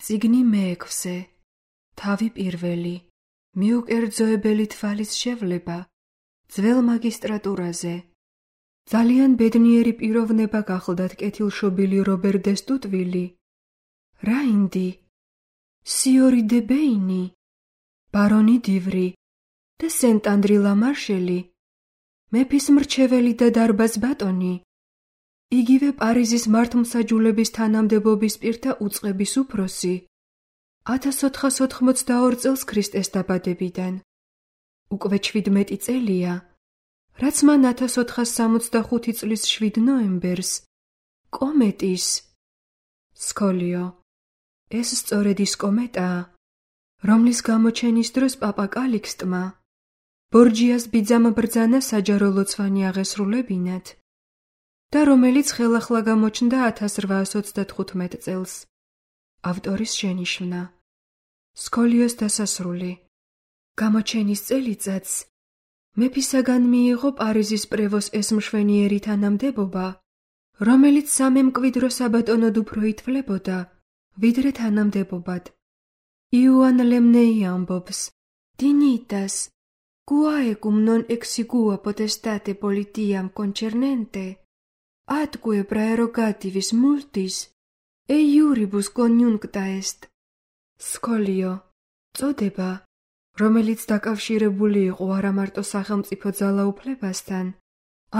წიგნი მეექვსე, თავი პირველი, მიუკერძოებელი თვალის შევლება, ძველ მაგისტრატურაზე. ძალიან ბედნიერი პიროვნება გახლდათ კეთილშობილი რობერ დე სტუტვილი, რაინდი, სიორი დე ბეინი, ბარონი დივრი და სენტ ანდრი ლამარშელი, მეფის მრჩეველი და დარბაზ ბატონი, იგივე პარიზის მართლმსაჯულების თანამდებობის პირთა უწყების უფროსი, 1482 წელს ქრისტეს დაბადებიდან. უკვე 17 წელია, რაც მან 1465 წლის 7 ნოემბერს კომეტის სკოლიო. ეს სწორედ ის კომეტაა, რომლის გამოჩენის დროს პაპა კალიქსტმა ბორჯიას ბიძამ ბრძანა საჯარო ლოცვანი აღესრულებინათ და რომელიც ხელახლა გამოჩნდა 1835 წელს. ავტორის შენიშვნა. სკოლიოს დასასრული. გამოჩენის წელიწადს მეფისაგან მიიღო პარიზის პრევოს ეს მშვენიერი თანამდებობა, რომელიც სამემკვიდრო საბატონოდ უფრო ითვლებოდა, ვიდრე თანამდებობად. იოან ლემნეი ამბობს: Dignitas, quae cum non exigua potestate politiam concernente, atque praerogativis multis, e iuribus conjuncta est. სკოლიო, წოდება, რომელიც დაკავშირებული იყო არა მარტო სახელმწიფო ძალაუფლებასთან,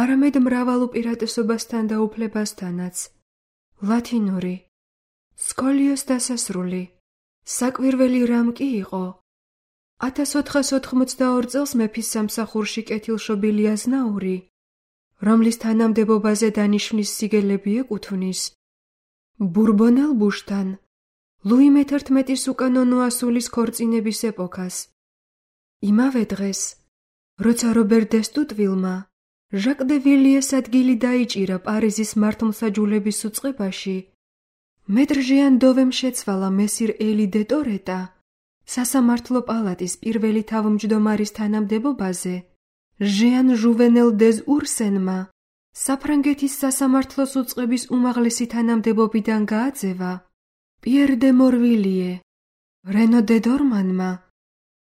არამედ მრავალ უპირატესობასთან და უფლებასთანაც. ლათინური. სკოლიოს დასასრული. საკვირველი რამ კი იყო? 1482 წელს მეფის სამსახურში კეთილშობილი აზნაური, რომლის თანამდებობაზე დანიშვნის სიგელები ეკუთვნის, ბურბონელ ბუშთან, ლუი მე-11-ის უკანონო ასულის ქორწინების ეპოქას. იმავე დღეს, როცა რობერ დე სტუტვილმა ჟაკ დე ვილიეს ადგილი დაიჭირა პარიზის მართლმსაჯულების უწყებაში, მეტრ ჟიან დოვემ შეცვალა მესირ ელი დე ტორეტა სასამართლო პალატის პირველი თავმჯდომარის თანამდებობაზე, ჟიან ჟუვენელ დეზ ურსენმა საფრანგეთის სასამართლოს უწყების უმაღლესი თანამდებობიდან გააძევა პიერ დე მორვილიე, რენო დე დორმანმა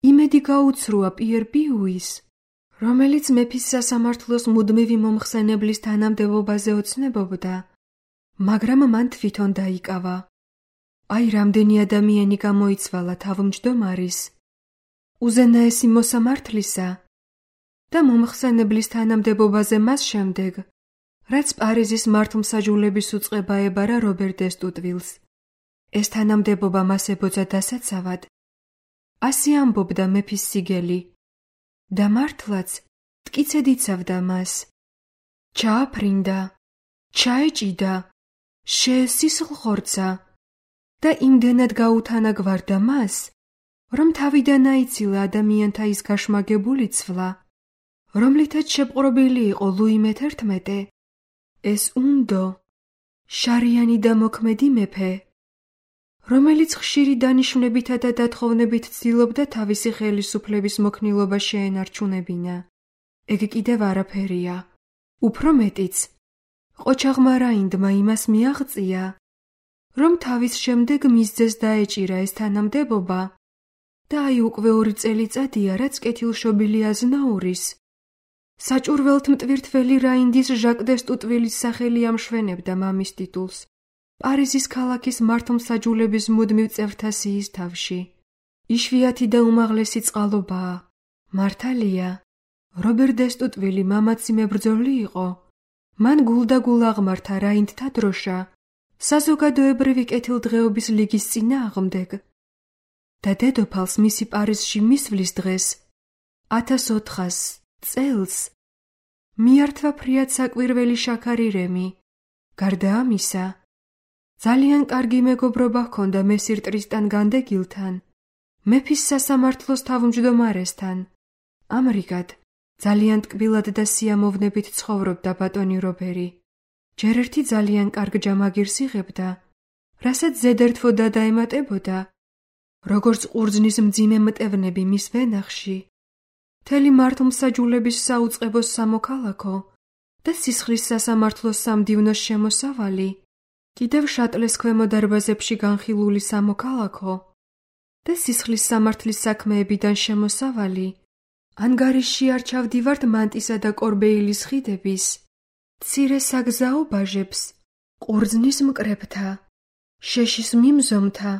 იმედი გაუცრუა პიერ პიუის, რომელიც მეფის სასამართლოს მუდმივი მომხსენებლის თანამდებობაზე ოცნებობდა, მაგრამ მან თვითონ დაიკავა. აი რამდენი ადამიანი გამოიცვალა თავმჯდომარის, უზენაესი მოსამართლისა და მომხსენებლის თანამდებობაზე მას შემდეგ, რაც პარიზის მართლმსაჯულების უწყება ებარა რობერ დე სტუტვილს. ეს თანამდებობა მას ებოძა დასაცავად. ასე ამბობდა მეფის სიგელი და მართლაც მტკიცედ იცავდა მას. ჩააფრინდა, ჩაეჭიდა, შეესისლხორცა და იმდენად გაუთანაგვარდა მას, რომ თავიდან აიცილა ადამიანთა ის გაშმაგებული ცვლა, რომლითაც შეპყრობილი იყო ლუი მე-11, ეს უნდო, შარიანი და მოქმედი მეფე, რომელიც ხშირი დანიშვნებითა და დათხოვნებით ცდილობდა თავისი ხელისუფლების მოქნილობა შეენარჩუნებინა. ეგ კიდევ არაფერია. უფრო მეტიც, ყოჩაღმა რაინდმა იმას მიაღწია, რომ თავის შემდეგ მისძეს დაეჭირა ეს თანამდებობა და აი უკვე 2 წელიწადია, რაც კეთილშობილი აზნაურის, საჭურველთ მტვირთველი რაინდის ჟაკ დე სტუტვილის სახელი ამშვენებდა მამის ტიტულს პარიზის ქალაქის მართლმსაჯულების მუდმივ წევრთა სიის თავში. იშვიათი და უმაღლესი წყალობაა. მართალია, რობერ დე სტუტვილი მამაცი მებრძოლი იყო. მან გულდაგულ აღმართა რაინდთა დროშა საზოგადოებრივი კეთილდღეობის ლიგის წინააღმდეგ და დედოფალს მისი პარიზში მისვლის დღეს 1400 წელს მიართვა ფრიად საკვირველი შაქარი რემი. გარდა ამისა, ძალიან კარგი მეგობრობა ჰქონდა მესირ ტრისტან განდეგილთან, მეფის სასამართლოს თავმჯდომარესთან. ამრიგად, ძალიან ტკბილად და სიამოვნებით ცხოვრობდა ბატონი რობერი. ჯერ ერთი ძალიან კარგ ჯამაგირს იღებდა, რასაც ზედერთვო დაემატებოდა, როგორც ყურძნის მძიმე მტევნები მის ვენახში, მთელი მართლმსაჯულების საუწყებოს სამოქალაქო და სისხლის სასამართლოს სამდივნოს შემოსავალი კიდევ შატლეს ქვემო დარბაზებში განხილული სამოქალაქო და სისხლის სამართლის საქმეებიდან შემოსავალი, ანგარიშში არ ჩავდივართ მანტისა და კორბეილის ხიდების, მცირე საგზაო ბაჟებს, ყურძნის მკრებთა, შეშის მიმზომთა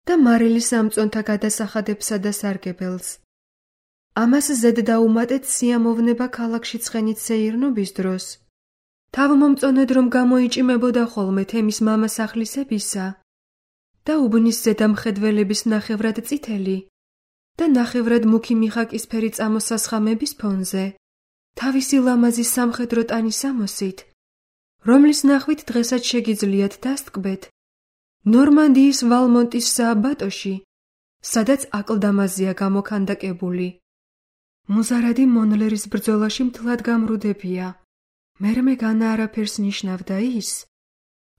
და მარილის ამწონთა გადასახადებსა და სარგებელს. ამას ზედ დაუმატეთ სიამოვნება ქალაქში ცხენით სეირნობის დროს, თავმომწონედ რომ გამოიჭიმებოდა ხოლმე თემის მამასახლისებისა და უბნის ზედამხედველების ნახევრად წითელი და ნახევრად მუქი მიხაკისფერი წამოსასხამების ფონზე, თავისი ლამაზი სამხედრო ტანის ამოსით, რომლის ნახვით დღესაც შეგიძლიათ დასტკბეთ ნორმანდიის ვალმონტის სააბატოში, სადაც აკლდამაზია გამოქანდაკებული. მუზარადი მონლერის ბრძოლაში მთლად გამრუდებია. მერმე განა არაფერს ნიშნავდა ის,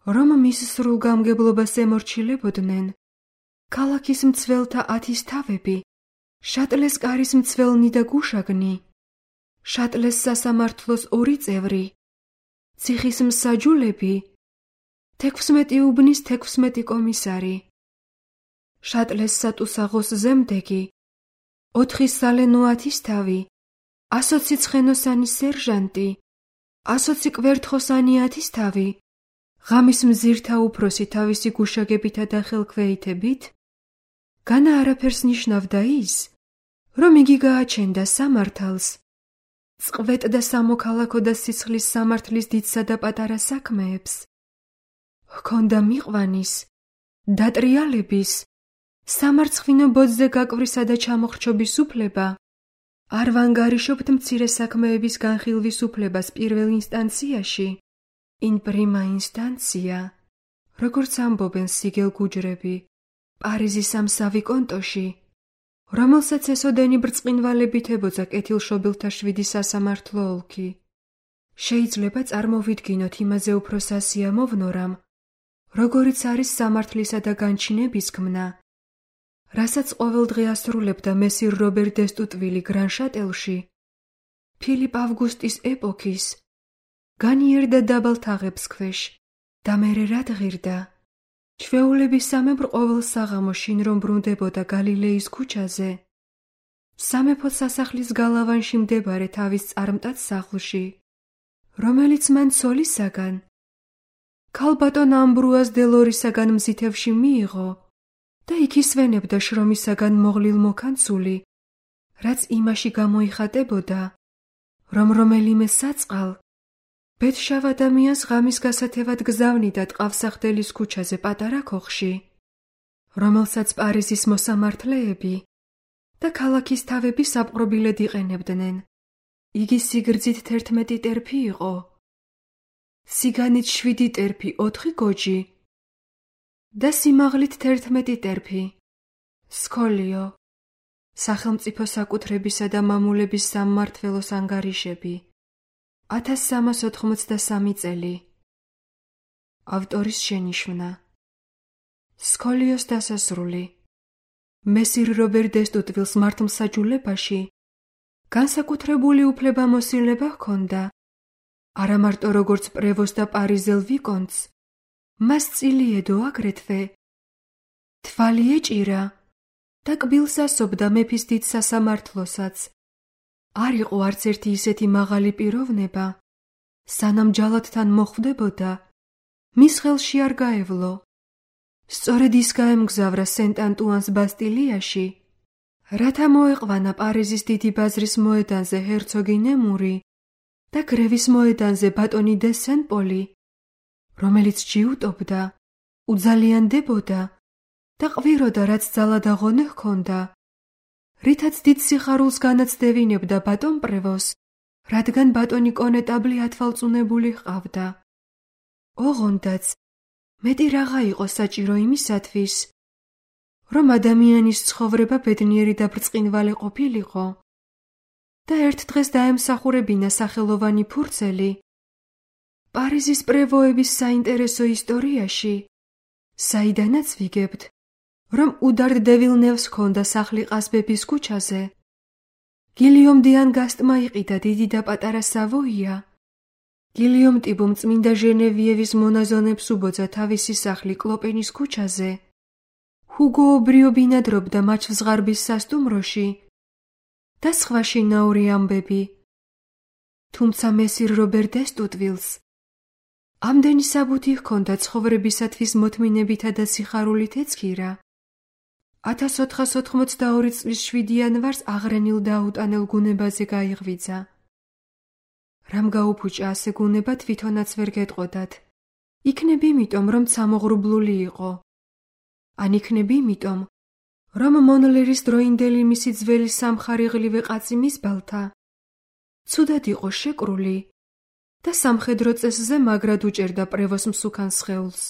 რომ მის სრულგამგებლობას ემორჩილებოდნენ ქალაქის მცველთა 10 თავები, შატლეს კარის მცველნი და გუშაგნი, შატლეს სასამართლოს 2 წევრი, ციხის მსაჯულები, 16 უბნის 16 კომისარი, შატლეს სატუსაღოს ზემდეგი, 4 სალენო 10 თავი, 120 ცხენოსანი სერჟანტი, 120 კვერთხოსანი 10 თავი, ღამის მზირთა უფროსი თავისი გუშაგებითა და ხელქვეითებით, განა არაფერს ნიშნავდა ის, რომ იგი გააჩენდა სამართალს, წყვეტ და სამოქალაქო და სისხლის სამართლის დიდსა და პატარა საქმეებს, ჰქონდა მიყვანის, დატრიალების, სამარცხვინო ბოძზე გაკვრისა და ჩამოხრჩობის უფლება, არ ვანგარიშობთ მცირე საქმეების განხილვის უფლებას პირველ ინსტანციაში, in prima instantia, როგორც ამბობენ სიგელ გუჯრები, პარიზის ამსავი კონტოში, რომელსაც ესოდენი ბრწყინვალებით ებოძა კეთილშობილთა 7 სასამართლო ოლქი. შეიძლება წარმოვიდგინოთ იმაზე უფრო სასიამოვნო რამ, როგორიც არის სამართლისა და განჩინების ქმნა, რასაც ყოველდღე ასრულებდა მესირ რობერ დესტუტვილი გრანშატელში, ფილიპ ავგუსტის ეპოქის, განიერდა დაბალ თაღებს ქვეშ და მერე რა ღირდა. ჩვეულების სამებრ ყოველ საღამოში რომ ბრუნდებოდა გალილეის ქუჩაზე, სამეფო სასახლის გალავანში მდებარე თავის წარმტაც სახლში, რომელიც მან ცოლისაგან, ქალბატონ ამბრუას დელორისაგან მზითევში მიიღო და იქ ისვენებდა შრომისაგან მოღლილ მოქანცული, რაც იმაში გამოიხატებოდა, რომ რომელიმე საწყალ ბედშავ ადამიანს ღამის გასათევად გზავნიდა ტყავსახდელის ქუჩაზე პატარა ქოხში, რომელსაც პარიზის მოსამართლეები და ქალაქის თავები საპყრობილედ იყენებდნენ. იგი სიგრძით 11 ტერფი იყო, სიგანით 7 ტერფი 4 გოჯი და სიმაღლით 11 ტერფი. სკოლიო, სახელმწიფო საკუთრებისა და მამულების სამმართველოს ანგარიშები, 1383 წელი. ავტორის შენიშვნა. სკოლიოს დასასრული. მესირ რობერ დესტუტვილს მართლმსაჯულებაში განსაკუთრებული უფლებამოსილება ჰქონდა, არა მარტო როგორც პრევოს და პარიზელ ვიკონტს, მას წილი ედო აგრეთვე, თვალი ეჭირა და კბილს ასობდა მეფის დიდ სასამართლოსაც. არ იყო არც ერთი ისეთი მაღალი პიროვნება, სანამ ჯალათთან მოხვდებოდა, მის ხელში არ გაევლო. სწორედ ის გაემგზავრა სენტ-ანტუანს ბასტილიაში, რათა მოეყვანა პარიზის დიდი ბაზრის მოედანზე ჰერცოგი ნემური და გრევის მოედანზე ბატონი დე სენ-პოლი, რომელიც ჯიუტობდა, უძალიანდებოდა და ყვიროდა, რაც ძალა და ღონე ჰქონდა, რითაც დიდ სიხარულს განაცდევინებდა ბატონ პრევოს, რადგან ბატონი კონეტაბლი ათვალწუნებული ჰყავდა. ოღონდაც მეტი რაღა იყო საჭირო იმისათვის, რომ ადამიანის ცხოვრება ბედნიერი და ბრწყინვალე ყოფილიყო და ერთ დღეს დაემსახურებინა სახელოვანი ფურცელი პარიზის პრევოების საინტერესო ისტორიაში, საიდანაც ვიგებთ, რომ უდარდ დე ვილნევს ჰქონდა სახლი ყაზბების ქუჩაზე. გილიომ დე ანგასტმა იყიდა დიდი და პატარა სავოია გილიომ ტიბომ წმინდა ჟენევიევის მონაზონებს უბოძა თავისი სახლი კლოპენის ქუჩაზე. ჰუგო ობრიო ბინადრობდა მაჩვზღარბის სასტუმროში და სხვა შინაური ამბები. თუმცა მესირ რობერ დესტუტვილს ამდენი საბუთი ჰქონდა ცხოვრებისათვის მოთმინებითა და სიხარულით ეცქირა. 1482 წლის 7 იანვარს აღრენილ და აუტანელ გუნებაზე გაიღვიძა. რამ გაუფუჭა ასე გუნება თვითონაც ვერ გეტყოდათ. იქნებ იმიტომ, რომ სამოღრუბლული იყო. ან იქნებ იმიტომ, რომ მონლერის დროინდელი მისი ძველი სამხარიღლივე კაცი მისბალთა ცუდად იყო შეკრული და სამხედრო წესზე მაგრად უჭერდა პრევოს მსუქან სხეულს.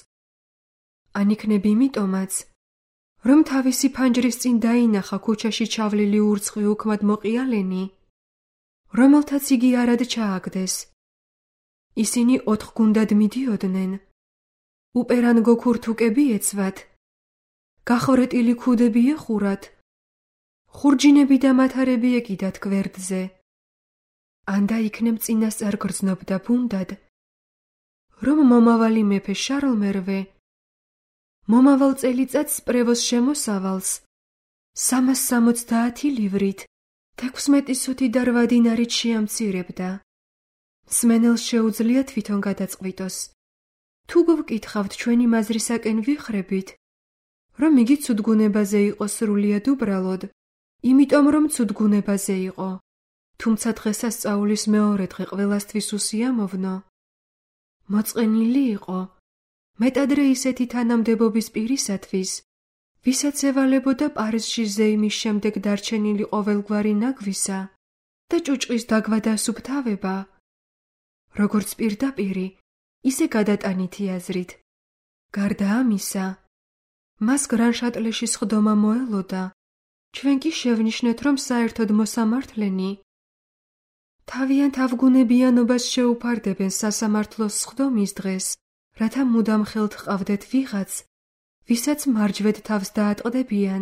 ან იქნებ იმიტომაც, რომ თავისი ფანჯრის წინ დაინახა ქუჩაში ჩავლილი ურცხვი უქმად მოყიალენი, რომელთაც იგი არად ჩააგდეს. ისინი 4 გუნდად მიდიოდნენ. უპერანგო ქურთუკები ეცვათ, გახორეტილი ქუდები ეხურათ, ხურჯინები და მათარები ეკიდათ გვერდზე. ანდა იქნებ წინასწარ გრძნობდა ბუნდად, რომ მომავალი მეფე შარლ მერვე მომავალ წელიწადს პრევოს შემოსავალს 370 ლივრით 16 სუთი და 8 დინარით შეამცირებდა. მსმენელს შეუძლია თვითონ გადაწყვიტოს. თუ გვკითხავთ ჩვენი მაზრისაკენ ვიხრებით, რომ იგი ცუდგუნებაზე იყო სრულიად უბრალოდ, იმიტომ რომ ცუდგუნებაზე იყო. თუმცა დღესასწაულის მეორე დღე ყველასთვის უსიამოვნო. მოწყენილი იყო მეტადრე ისეთი თანამდებობის პირისათვის, ვისაც ევალებოდა პარიზში ზეიმის შემდეგ დარჩენილი ყოველგვარი ნაგვისა და ჭუჭყის დაგვა და სუფთავება, როგორც პირდაპირი, ისე გადატანითი აზრით. გარდა ამისა, მას გრანშატლეში სხდომა მოელოდა, ჩვენ კი შევნიშნეთ, რომ საერთოდ მოსამართლენი თავიანთ ავგუნებიანობას შეუფარდებენ სასამართლოს სხდომის დღეს, რათა მუდამ ხელთ ჰყავდეთ ვიღაც, ვისაც მარჯვედ თავს დაატყდებიან,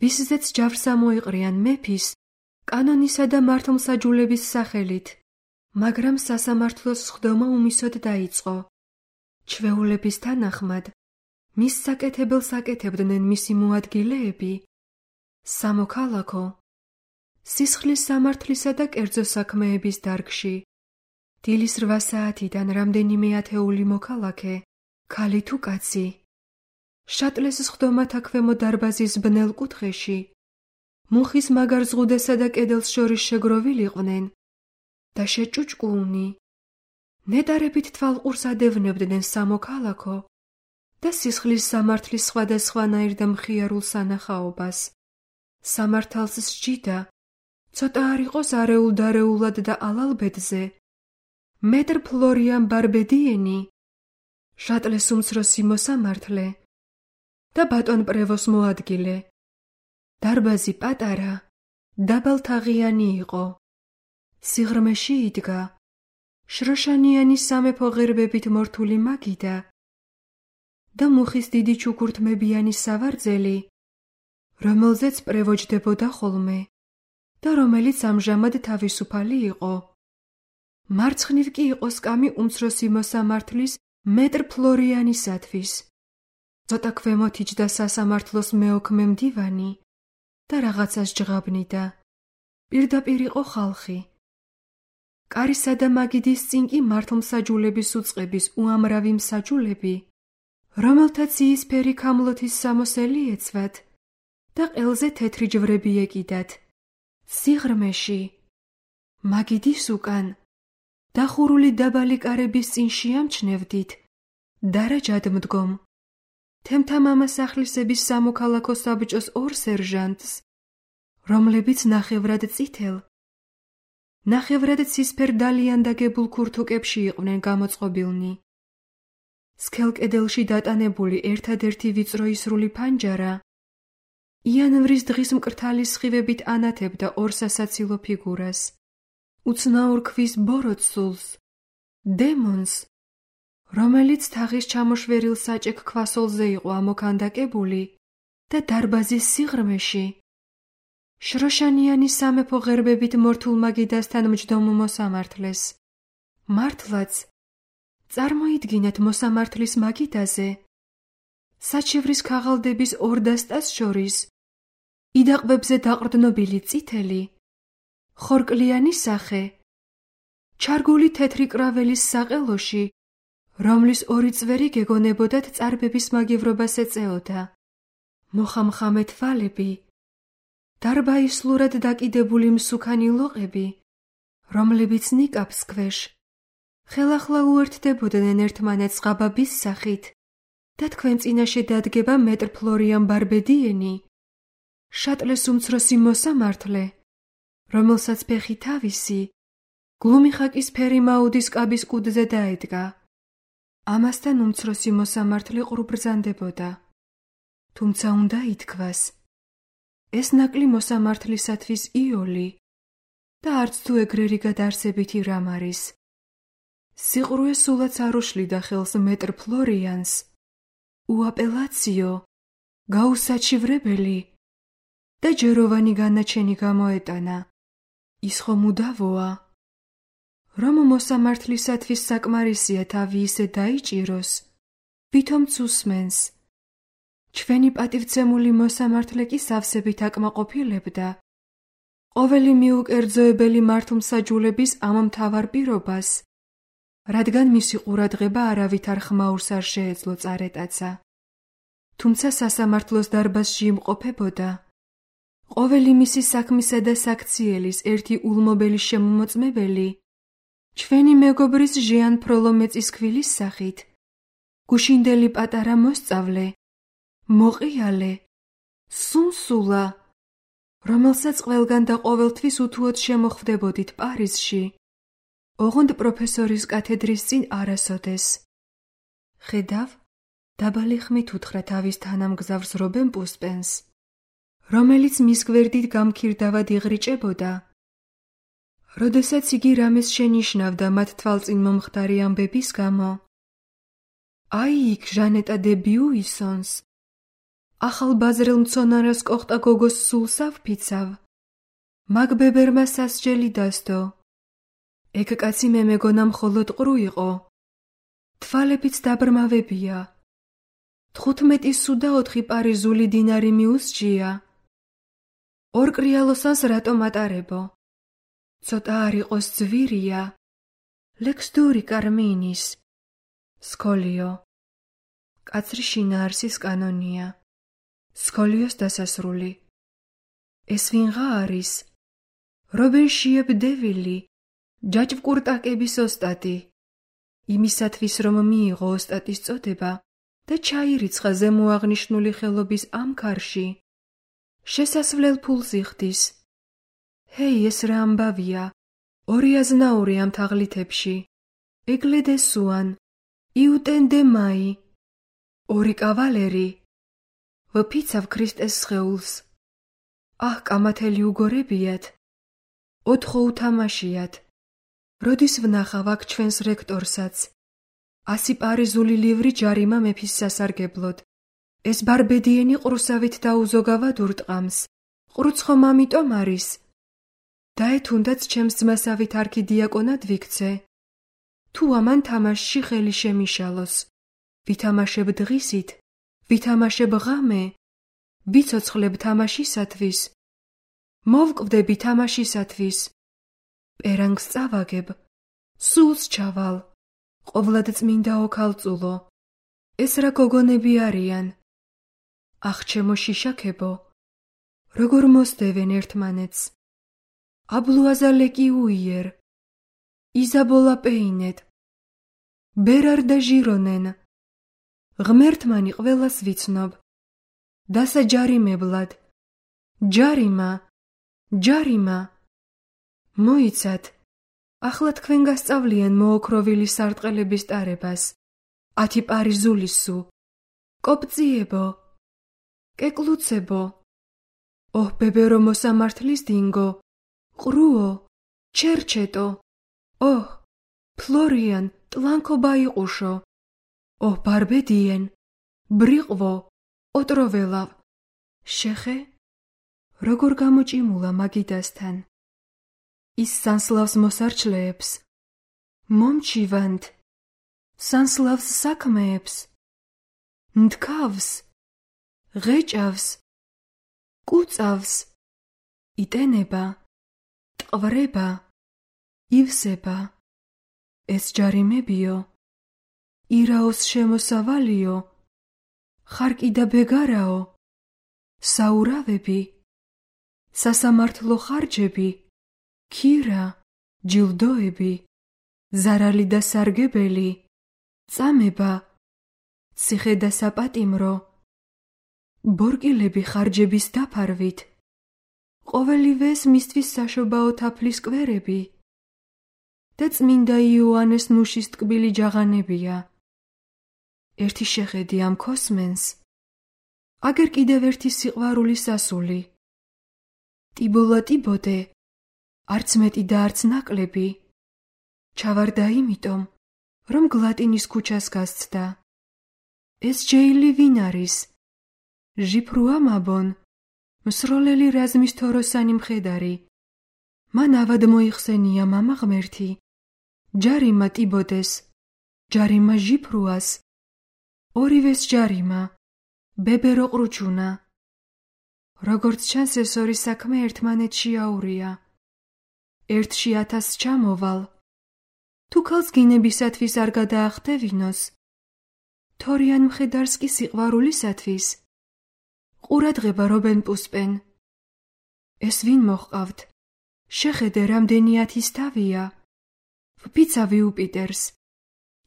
ვისზეც ჯავრს ამოიყრიან მეფის, კანონისა და მართლმსაჯულების სახელით, მაგრამ სასამართლოს სხდომა უმისოდ დაიწყო. ჩვეულების თანახმად, მის საკეთებელს აკეთებდნენ მისი მოადგილეები, სამოქალაქო, სისხლის სამართლისა და კერძო საქმეების დარგში, დილის 8 საათიდან რამდენიმე ათეული მოქალაქე, ქალი თუ კაცი. შატლეს სხდომათა ქვემო დარბაზის ბნელ კუთხეში, მუხის მაგარ ზღუდესა და კედელს შორის შეგროვილიყვნენ და შეჭუჭკულნი. ნეტარებით თვალყურს ადევნებდნენ სამოქალაქო და სისხლის სამართლის სხვადასხვანაირ და მხიარულ სანახაობას. სამართალს სჯიდა, ცოტა არ იყოს არეულ-დარეულად და ალალბედზე. მეტრ ფლორიან ბარბედიენი, შატლეს უმცროსი მოსამართლე და ბატონ პრევოს მოადგილე. დარბაზი პატარა, დაბალთაღიანი იყო. სიღრმეში იდგა შროშანიანი სამეფო ღერბებით მორთული მაგიდა და მუხის დიდი ჩუქურთმებიანი სავარძელი, რომელზეც პრევო ჯდებოდა ხოლმე და რომელიც ამჟამად თავისუფალი იყო. მარცხნივ კი იყო სკამი უმცროსი მოსამართლის მეტრ ფლორიანისათვის. ცოტა ქვემოთ იჯდა სასამართლოს მეოქმე მდივანი და რაღაცას ჯღაბნიდა. პირდაპირ იყო ხალხი. კარისა და მაგიდის წინ კი მართლმსაჯულების უწყების უამრავი მსაჯულები, რომელთაც იისფერი ქამლოთის სამოსელი ეცვათ და ყელზე თეთრი ჯვრები ეკიდათ. სიღრმეში, მაგიდის უკან, დახურული დაბალი კარების წინ შეამჩნევდით, დარაჯად მდგომ, თემთა მამასახლისების სამოქალაქო საბჭოს 2 სერჟანტს, რომლებიც ნახევრად წითელ, ნახევრად ცისფერ დალიანდაგებულ ქურთუკებში იყვნენ გამოწყობილნი. სქელ კედელში დატანებული ერთადერთი ვიწრო ისრული ფანჯარა იანვრის დღის მკრთალი სხივებით ანათებდა 2 სასაცილო ფიგურას. უცნაურ ქვის ბოროტსულს, დემონს, რომელიც თაღის ჩამოშვერილ საჭექ ქვასოლზე იყო ამოქანდაკებული და დარბაზის სიღრმეში შროშანიანი სამეფო ღერბებით მორთულ მაგიდასთან მჯდომ მოსამართლეს. მართლაც, წარმოიდგინეთ მოსამართლის მაგიდაზე, საჩივრის ქაღალდების ორ დასტას შორის, იდაყბებზე დაყრდნობილი წითელი, ხორკლიანი სახე, ჩარგული თეთრი კრაველის საყელოში, რომლის ორი წვერი გეგონებოდათ წარბების მაგევრობას ეწეოდა, მოხამხამე თვალები, დარბაისლურად დაკიდებული მსუქანი ლოყები, რომლებიც ნიკაპს ქვეშ ხელახლა უერთდებოდნენ ერთმანეთს ღაბაბის სახით და თქვენ წინაშე დადგება მეტრფლორიან ბარბედიენი, შატლეს უმცროსი მოსამართლე, რომელსაც ფეხი თავისი გლუმი ხაკის ფერი მაუდის კაბის კუდზე დაედგა. ამასთან უმცროსი მოსამართლე ყრუბრძანდებოდა. თუმცა უნდა ითქვას, ეს ნაკლი მოსამართლისათვის იოლი და არც თუ ეგრერი გადაარსებითი რამ არის. სიყრუე სულაც არ უშლიდა ხელს მეტრფლორიანს, უაპელაციო, გაუსაჩივრებელი და ჯეროვანი განაჩენი გამოეტანა. ის ხომ უდავოა, რომ მოსამართლისათვის საკმარისია თავი ისე დაიჭიროს, ვითომც უსმენს. ჩვენი პატივცემული მოსამართლე კი სავსებით აკმაყოფილებდა ყოველი მიუკერძოებელი მართლმსაჯულების ამ მთავარ პირობას, რადგან მისი ყურადღება არავითარ ხმაურს არ შეეძლო წარეტაცა. თუმცა სასამართლოს დარბაზში იმყოფებოდა ყოველი მისი საქმისა და საქციელის ერთი ულმობელი შემომოწმებელი, ჩვენი მეგობრის ჟიან ფროლომეწის ქვილის სახით, გუშინდელი პატარა მოსწავლე, მოყიალე, სუნსულა, რომელსაც ყველგან და ყოველთვის უთუოდ შემოხვდებოდით პარიზში, ოღონდ პროფესორის კათედრის წინ არასოდეს. ხედავ, დაბალი ხმით უთხრა თავის თანამგზავრს რობენ პუსპენს, რომელიც მის გვერდით გამქირდავად იღრიჭებოდა. როდესაც იგი რამეს შენიშნავდა მათ თვალწინ მომხდარი ამბების გამო. აი იქ ჟანეტა დე ბიუისონს, ახალ ბაზრელ მცონარას კოხტა გოგოს სულს ავფიცავ, მაგ ბებერმა სასჯელი დასდო. ეგ კაცი მე მეგონა მხოლოდ ყრუ იყო, თვალებიც დაბრმავებია. 15 სუ და 4 პარიზული დინარი მიუსჯია. ორ კრიალოსანს რატომ ატარებო? ცოტა არ იყოს ძვირია. ლექსდური კარმინის. სკოლიო. კაცრი შინაარსის კანონია. სკოლიოს დასასრული. ეს ვინღა არის? რობენ შიებ დევილი, ჯაჭვკურტაკების ოსტატი. იმისათვის რომ მიიღო ოსტატის წოდება და ჩაირიცხა ზემოაღნიშნული ხელობის ამ ქარში, შესასვლელ ფულს იხდის. ჰეი, ეს რა ამბავია? 2 აზნაური ამ თაღლითებში. ეგლე დე სუან, იუტენ დე მაი. 2 კავალერი. ვფიცავ ქრისტეს სხეულს. აჰ, კამათელი უგორებიათ. 4 უთამაშიათ. როდის ვნახავ აქ ჩვენს რექტორსაც? 100 პარიზული ლივრი ჯარიმა მეფის სასარგებლოდ. ეს ბარბედიენი ყრუსავით დაუზოგავად ურტყამს. ყრუც ხომ ამიტომ არის? დაე თუნდაც ჩემს ძმასავით არქიდიაკონად ვიქცე. თუ ამან თამაშში ხელი შემიშალოს. ვითამაშებ დღისით, ვითამაშებ ღამე, ვიცოცხლებ თამაშისათვის. მოვკვდები თამაშისათვის. პერანგს წავაგებ, სულს ჩავალ, ყოვლად წმინდა ოქალწულო. ეს რა გოგონები არიან? ახ, ჩემო შიშაკებო, როგორ მოსდევენ ერთმანეთს? აბლუაზა ლეკიუიერ, იზაბოლა პეინეთ, ბერარ და ჟირონენ. ღმერთმანი ყველას ვიცნობ. დასაჯარიმებლად. ჯარიმა, ჯარიმა. მოიცათ, ახლა თქვენ გასწავლიან მოოქროვილი სარტყელების ტარებას. 10 პარიზული სუ. კოპწიებო, კეკლუცებო. ოჰ, ბებერო მოსამართლის დინგო, ყრუო, ჩერჩეტო. ოჰ, ფლორიან, ტლანკო ბაიყუშო. ოჰ, ბარბედიენ, ბრიყვო, ოტროველავ. შეხე? როგორ გამოჭიმულა მაგიდასთან? ის სანსლავს მოსარჩლეებს. მომჩივანთ, სანსლავს საქმეებს, ნდქავს, ღეჭავს, კუწავს, იტენება, ტყვრება, ივსება. ეს ჯარიმებიო, ირაოს შემოსავალიო, ხარკი და ბეგარაო, საურავები, სასამართლო ხარჯები, ქირა, ჯილდოები, ზარალი და სარგებელი, წამება, ციხე და საპატიმრო, ბორკილები ხარჯების დაფარვით, ყოველივეს მისთვის საშობაო თაფლის კვერები და წმინდა იოანეს ნუშის ტკბილი ჯაღანებია. ერთი შეხედი ამ ქოსმენს, აგერ კიდევ ერთი სიყვარული სასული. ტიბოლა ტიბოდე, არც მეტი და არც ნაკლები, ჩავარდა იმიტომ, რომ გლატინის ქუჩას გასცდა. ეს ჯეილი ვინ არის? ჟიფრუა მაბონ, მსროლელი რაზმის თოროსანი მხედარი. მან ავად მოიხსენია მამა ღმერთი, ჯარიმა ტიბოდეს, ჯარიმა ჟიფრუას, ორივეს ჯარიმა, ბებერო ყრუჩუნა. როგორც ჩანს, ეს ორი საქმე ერთმანეთში აურია. ერთში 1000 ჩამოვალ. თუ ქალს გინებისათვის არ გადაახტევინოს, თორიან მხედარს კი სიყვარულისათვის, ყურადღება რობენ პუსპენ. ეს ვინ მოჰყავთ? შეხედე, რამდენი 1000 თავია. ვფიცავი უპიტერს,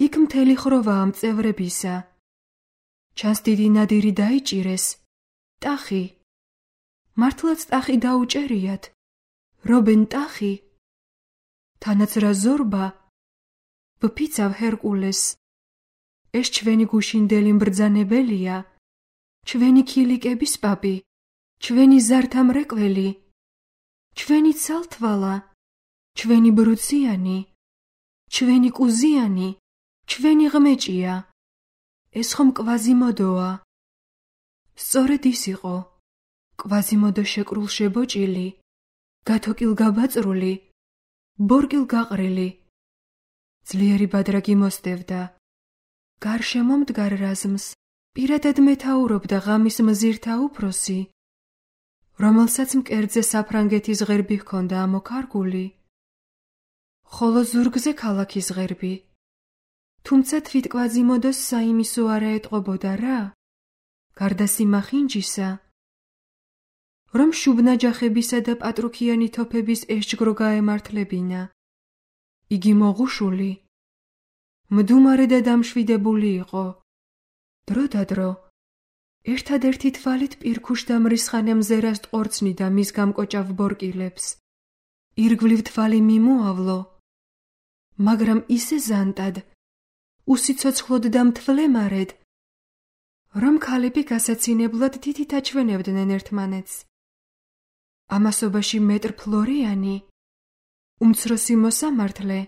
იქ მთელი ხროვაა მწევრებისა. ჩანს დიდი ნადირი დაიჭირეს, ტახი. მართლაც ტახი დაუჭერიათ, რობენ ტახი. თანაც რა ზორბა, ვფიცავ ჰერკულეს. ეს ჩვენი გუშინდელი მბრძანებელია, ჩვენი ქილიკების პაპი, ჩვენი ზართა მრეკველი, ჩვენი ცალთვალა, ჩვენი ბრუციანი, ჩვენი კუზიანი, ჩვენი ღმეჭია. ეს ხომ კვაზიმოდოა. სწორედ ის იყო, კვაზიმოდო შეკრულ შებოჭილი, გათოკილ გაბაწრული, ბორკილ გაყრილი. ძლიერი ბადრაგი მოსდევდა. გარშემო მდგარ რაზმს პირადად მეთაურობდა ღამის მზირთა უფროსი, რომელსაც მკერდზე საფრანგეთის ღერბი ჰქონდა ამოქარგული, ხოლო ზურგზე ქალაქის ღერბი. თუმცა თვით კვაზიმოდოს საიმისო არა ეტყობოდა რა, გარდა სიმახინჯისა, რომ შუბნაჯახებისა და პატრუქიანი თოფების ესჯგრო გაემართლებინა. იგი მოღუშული, მდუმარე და დამშვიდებული იყო. დრო და დრო, ერთადერთი თვალით პირქუშ და მრისხანე მზერას ტყორცნიდა მის გამკოჭავ ბორკილებს. ირგვლივ თვალი მიმოავლო, მაგრამ ისე ზანტად, უსიცოცხლოდ და მთლემარედ, რომ ქალები გასაცინებლად თითით აჩვენებდნენ ერთმანეთს. ამასობაში მეტრ ფლორიანი, უმცროსი მოსამართლე,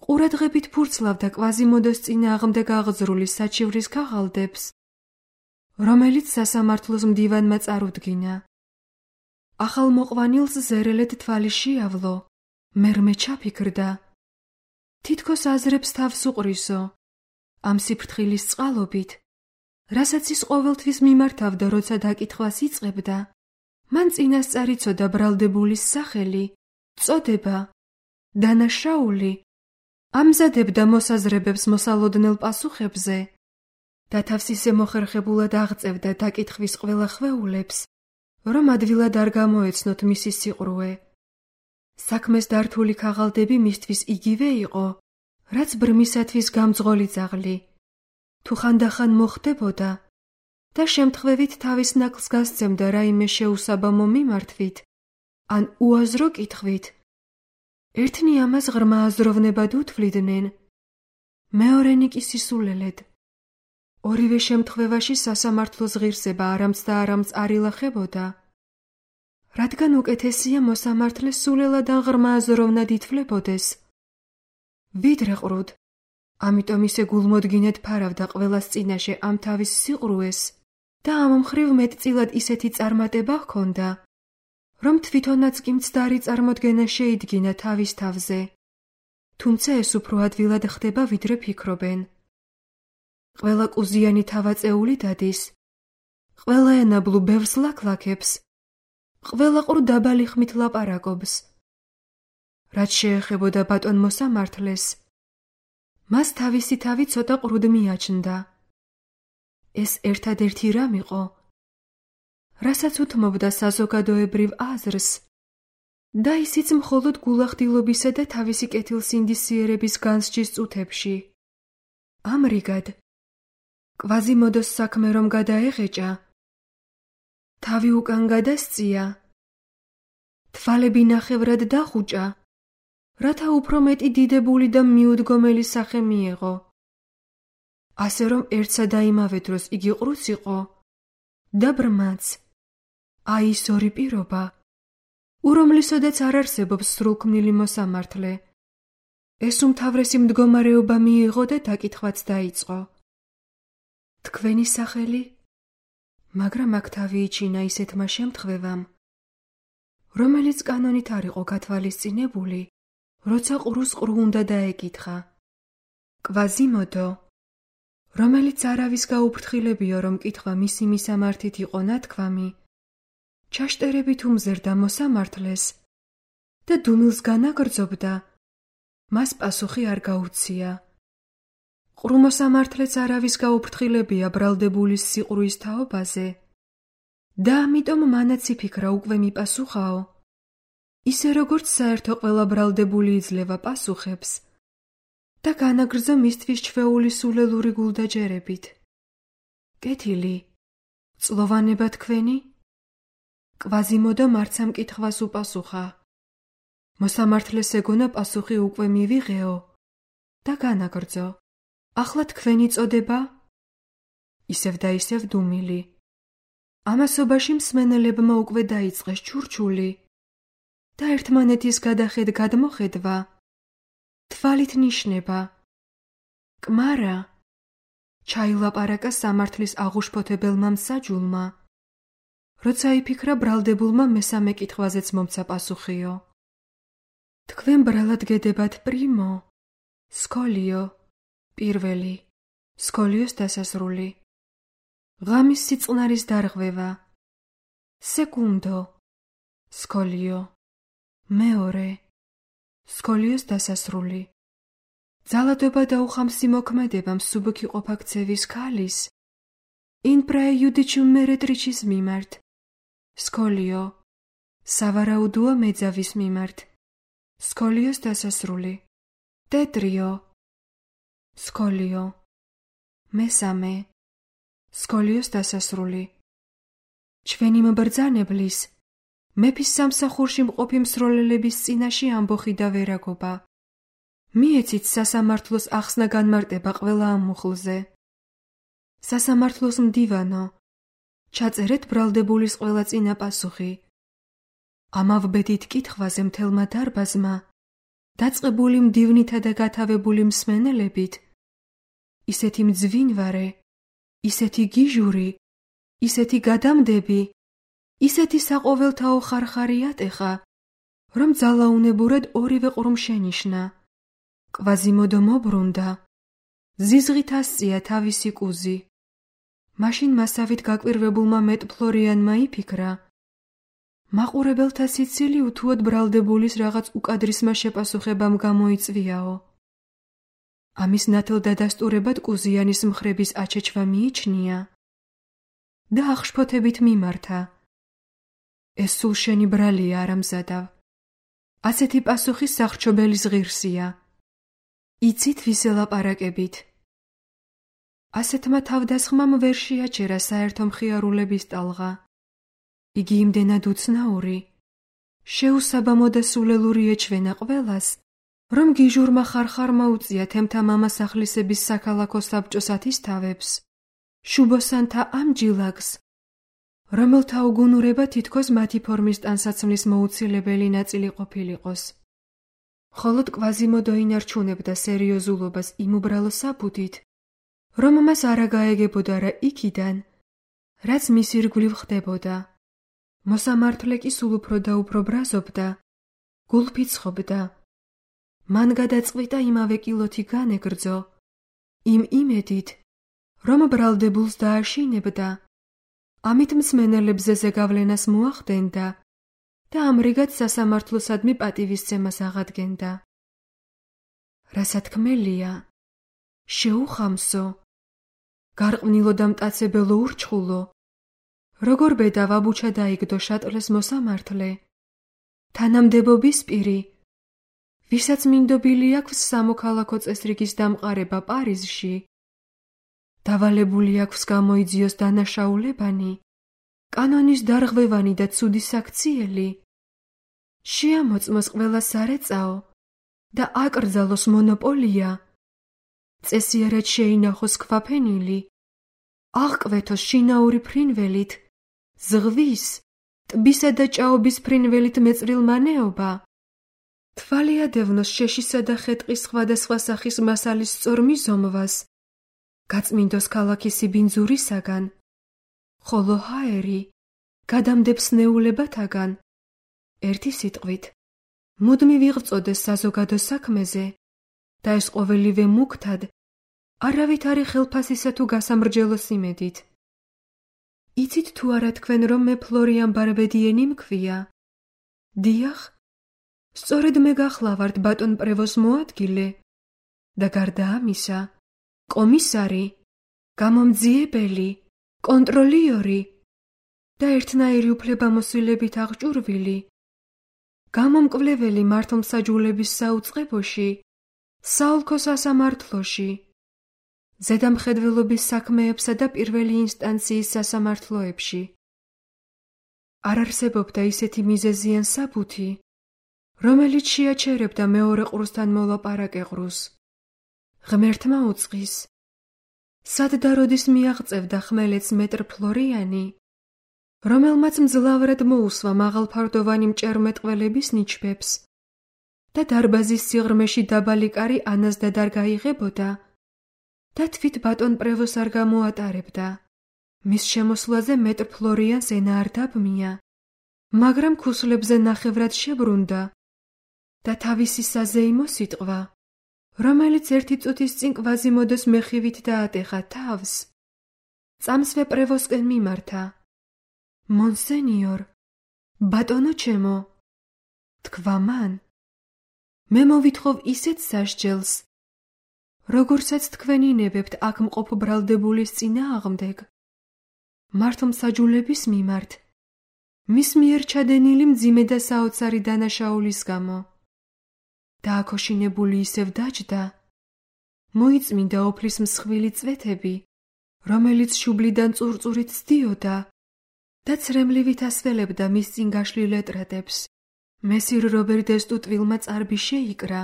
ყურადღებით ფურცლავდა კვაზიმოდოს წინააღმდეგ აღძრული საჩივრის ქაღალდებს, რომელიც სასამართლოს მდივანმა წარუდგინა. ახალ მოყვანილს ზერელედ თვალი შეავლო, მერმე ჩაფიქრდა. თითქოს აზრებს თავს უყრისო, ამ სიფრთხილის წყალობით, რასაც ის ყოველთვის მიმართავდა, როცა დაკითხვას იწყებდა. მან წინასწარ იცოდა ბრალდებულის სახელი, წოდება, დანაშაული, ამზადებდა მოსაზრებებს მოსალოდნელ პასუხებზე და თავს ისე მოხერხებულად აღწევდა დაკითხვის ყველა ხვეულებს, რომ ადვილად არ გამოეცნოთ მისი სიყრუე. საქმეს დართული ქაღალდები მისთვის იგივე იყო, რაც ბრმისათვის გამძღოლი ძაღლი. თუ ხანდახან მოხდებოდა და შემთხვევით თავის ნაკლს გასცემდა რაიმე შეუსაბამო მიმართვით, ან უაზრო კითხვით, ერთნი ამას ღრმა აზროვნებად უთვლიდნენ, მეორენი კი სისულელედ. ორივე შემთხვევაში სასამართლოს ღირსება არამც და არამც არ ილახებოდა, რადგან უკეთესია მოსამართლე სულელად ან ღრმა აზროვნად ითვლებოდეს. ვიდრე ყრუდ, ამიტომ ისე გულმოდგინედ ფარავდა ყველას წინაშე ამ თავის სიყრუეს და ამ მხრივ მეტწილად ისეთი წარმატება ჰქონდა, რომ თვითონაც კი მცდარი წარმოდგენა შეიდგინა თავის თავზე. თუმცა ეს უფრო ადვილად ხდება, ვიდრე ფიქრობენ. ყველა კუზიანი თავაწეული დადის, ყველა ენაბლუ ბევრს ლაქლაქებს, ყველა ყრუ დაბალი ხმით ლაპარაკობს. რაც შეეხებოდა ბატონ მოსამართლეს, მას თავისი თავი ცოტა ყრუდ მიაჩნდა. ეს ერთადერთი რამ იყო, რასაც უთმობდა საზოგადოებრივ აზრს და ისიც მხოლოდ გულახდილობისა და თავისი კეთილსინდისიერების განსჯის წუთებში. ამრიგად, კვაზიმოდოს საქმე რომ გადაეღეჭა, თავი უკან გადასწია, თვალები ნახევრად დახუჭა, რათა უფრო მეტი დიდებული და მიუდგომელი სახე მიეღო. ასე რომ ერთსა და იმავე დროს იგი ყრუც იყო და ბრმაც. აი ის ორი პირობა, ურომლისოდაც არ არსებობს სრულქმნილი მოსამართლე. ეს უმთავრესი მდგომარეობა მიიღო და დაკითხვაც დაიწყო. თქვენი სახელი? მაგრამ აქ თავი იჩინა ისეთმა შემთხვევამ, რომელიც კანონით არ იყო გათვალისწინებული, როცა ყრუს ყრუ უნდა დაეკითხა. კვაზიმოდო, რომელიც არავის გაუფრთხილებიო, რომ კითხვა მისი მისამართით იყო ნათქვამი, ჩაშტერებით უმზერდა მოსამართლეს და დუმილს განაგრძობდა, მას პასუხი არ გაუცია. ყრუ მოსამართლეც არავის გაუფრთხილებია ბრალდებულის სიყრუის თაობაზე და ამიტომ მანაც იფიქრა უკვე მიპასუხაო, ისე როგორც საერთო ყველა ბრალდებული იძლევა პასუხებს და განაგრძო მისთვის ჩვეული სულელური გულდაჯერებით. კეთილი, წლოვანება თქვენი? კვაზიმოდო მარცა მკითხვას უპასუხა. მოსამართლეს ეგონა პასუხი უკვე მივიღეო და განაგრძო. ახლა თქვენი წოდება? ისევ და ისევ დუმილი. ამასობაში მსმენელებმა უკვე დაიწყეს ჩურჩული და ერთმანეთის გადახედ გადმოხედვა, თვალით ნიშნება. კმარა ჩაილაპარაკა სამართლის აღუშფოთებელმა მსაჯულმა, როცა იფიქრა ბრალდებულმა მესამე კითხვაზეც მომცა პასუხიო. თქვენ ბრალად გედებათ პრიმო, სკოლიო, პირველი, სკოლიოს დასასრული, ღამის სიწყნარის დარღვევა, სეკუნდო, სკოლიო, მეორე, სკოლიოს დასასრული, ძალადობა და უხამსი მოქმედება მსუბუქი ყოფაქცევის ქალის, in praejudicium meretricis მიმართ, სკოლიო, სავარაუდოა მეძავის მიმართ, სკოლიოს დასასრული, ტეტრიო, სკოლიო, მესამე, სკოლიოს დასასრული. ჩვენი მბრძანებლის, მეფის სამსახურში მყოფი მსროლელების წინაშე ამბოხი და ვერაგობა. მიეცით სასამართლოს ახსნა განმარტება ყველა ამ მუხლზე. სასამართლოს მდივანო, ჩაწერეთ ბრალდებულის ყველა წინა პასუხი. ამავბედით კითხვაზე მთელმა დარბაზმა, დაწყებული მდივნითა და გათავებული მსმენელებით, ისეთი მძვინვარე, ისეთი გიჟური, ისეთი გადამდები, ისეთი საყოველთაო ხარხარი ატეხა, რომ ძალაუნებურად ორივე ყრუმ შენიშნა. კვაზიმოდო მობრუნდა, ზიზღით ასწია თავისი კუზი. მაშინ მასავით გაკვირვებულმა მეტფლორიანმა იფიქრა, მაყურებელთა სიცილი უთუოდ ბრალდებულის რაღაც უკადრისმა შეპასუხებამ გამოიწვიაო. ამის ნათელ დადასტურებად კუზიანის მხრების აჩეჩვა მიიჩნია და აღშფოთებით მიმართა. ეს სულ შენი ბრალია არამზადავ. ასეთი პასუხი სახრჩობელის ღირსია. იცით ვის ელაპარაკებით. ასეთმა თავდასხმამ ვერ შეაჩერა საერთო მხიარულების ტალღა. იგი იმდენად უცნაური, შეუსაბამო და სულელური ეჩვენა ყველას, რომ გიჟურმა ხარხარმა უწია თემთა მამასახლისების საქალაქო საბჭოს ათისთავებს, შუბოსანთა ამ ჯილაგს, რომელთა უგუნურება თითქოს მათი ფორმის ტანსაცმლის მოუცილებელი ნაწილი ყოფილიყოს. მხოლოდ კვაზიმოდო ინარჩუნებდა სერიოზულობას იმ უბრალო საფუთით, რომ მას არა გაეგებოდა რა იქიდან, რაც მის ირგვლივ ხდებოდა. მოსამართლე კი სულ უფრო და უფრო ბრაზობდა, გულფიცხობდა. მან გადაწყვიტა იმავე კილოთი განეგრძო, იმ იმედით, რომ ბრალდებულს დააშინებდა, ამით მსმენელებზე ზეგავლენას მოახდენდა და ამრიგად სასამართლოსადმი პატივისცემას აღადგენდა. რასათქმელია, შეუხამსო, გარყვნილო და მტაცებელო ურჩხულო, როგორ ბედა ვაბუჩა დაიგდო შატლეს მოსამართლე, თანამდებობის პირი, ვისაც მინდობილი აქვს სამოქალაქო წესრიგის დამყარება პარიზში, დავალებული აქვს გამოიძიოს დანაშაულებანი, კანონის დარღვევანი და ცუდი საქციელი, შეამოწმოს ყველა სარეწაო და აკრძალოს მონოპოლია, წესიარად შეინახოს ქვაფენილი, აღკვეთოს შინაური ფრინველით, ზღვის, ტბისა და ჭაობის ფრინველით მეწრილმანეობა, თვალი ადევნოს შეშისა და ხეტყის სხვადასხვა სახის მასალის სწორ მიზომვას, გაწმინდოს ქალაქის სიბინძურისაგან, ხოლო ჰაერი გადამდებს ნეულებათაგან, ერთი სიტყვით, მუდმივ იღვწოდეს საზოგადო საქმეზე და ეს ყოველივე მუქთად, არავითარი ხელფასისა თუ გასამრჯელოს იმედით. იცით თუ არა თქვენ, რომ მე ფლორიან ბარბედიენი მქვია? დიახ, სწორედ მე გახლავართ ბატონ პრევოს მოადგილე და გარდა ამისა, კომისარი, გამომძიებელი, კონტროლიორი და ერთნაირი უფლებამოსილებით აღჭურვილი, გამომკვლეველი მართლმსაჯულების საუწყებოში, საოლქო სასამართლოში, ზედამხედველობის საქმეებსა და პირველი ინსტანციის სასამართლოებში. არ არსებობდა ისეთი მიზეზიან საბუთი, რომელიც შეაჩერებდა მეორე ყრუსთან მოლაპარაკე ყრუს. ღმერთმა უწყის, სად და როდის მიაღწევდა ხმელეთს მეტრ ფლორიანი, რომელმაც მძლავრად მოუსვა მაღალფარდოვანი მჭერმეტყველების ნიჩბებს და დარბაზის სიღრმეში დაბალი კარი ანაზდა არ გაიღებოდა და თვით ბატონ პრევოს არ გამოატარებდა. მის შემოსვლაზე მეტრ ფლორიანს ენა არ დაბმია, მაგრამ ქუსლებზე ნახევრად შებრუნდა და თავისი საზეიმო სიტყვა, რომელიც ერთი წუთის წინ კვაზიმოდოს მეხივით დაატეხა თავს, წამსვე პრევოსკენ მიმართა. მონსენიორ, ბატონო ჩემო, თქვა მან, მე მოვითხოვ ისეთ სასჯელს, როგორცაც თქვენ ინებებთ აქ მყოფ ბრალდებულის წინააღმდეგ, მართლმსაჯულების მიმართ, მის მიერ ჩადენილი მძიმე და საოცარი დანაშაულის გამო. დააქოშინებული ისევ დაჯდა, მოიწმინდა ოფლის მსხვილი წვეთები, რომელიც შუბლიდან წურწურით სდიოდა და ცრემლივით ასველებდა მის წინ გაშლილ ეტრატებს. მესირ რობერ დესტუტვილმა წარბი შეიკრა.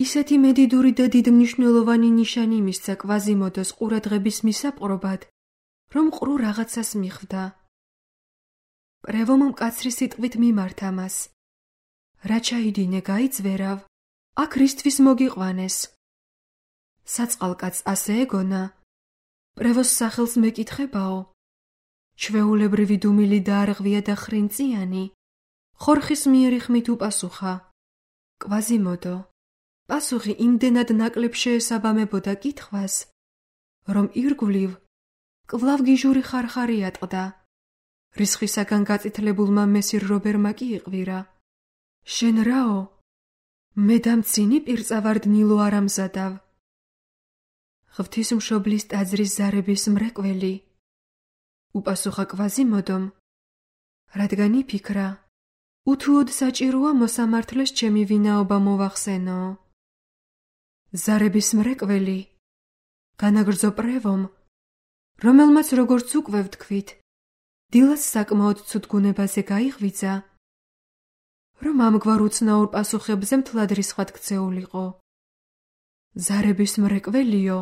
ისეთი მედიდური და დიდმნიშნელოვანი ნიშანი მისცა კვაზიმოდოს ყურადღების მისაპყრობად, რომ ყრუ რაღაცას მიხვდა. პრევომ მკაცრი სიტყვით მიმართა მას. რა ჩაიდინე გაიძვერავ, აქ რისთვის მოგიყვანეს? საწყალკაცს ასე ეგონა, პრევოს სახელს მეკითხებაო. ჩვეულებრივი დუმილი დაარღვია და ხრინწიანი, ხორხის მიერი ხმით უპასუხა. კვაზიმოდო, პასუხი იმდენად ნაკლებ შეესაბამებოდა კითხვას, რომ ირგვლივ კვლავ გიჟური ხარხარი ატყდა. რისხვისაგან გაწითლებულმა მესირ რობერმა კი იყვირა. შენ რაო? მე დამცინი პირწავარ დნილო არ ამზადავ. ღვთისმშობლის ტაძრის ზარების მრეკველი, უპასუხა კვაზიმოდომ, რადგან იფიქრა, უთუოდ საჭიროა მოსამართლეს ჩემი ვინაობა მოვახსენო. ზარების მრეკველი, განაგრძო პრევომ, რომელმაც როგორც უკვე ვთქვით, დილას საკმაოდ ცუდ გუნებაზე გაიღვიძა, რომ ამგვარ უცნაურ პასუხებზე მთლად რისხვად ქცეულიყო. ზარების მრეკველიო,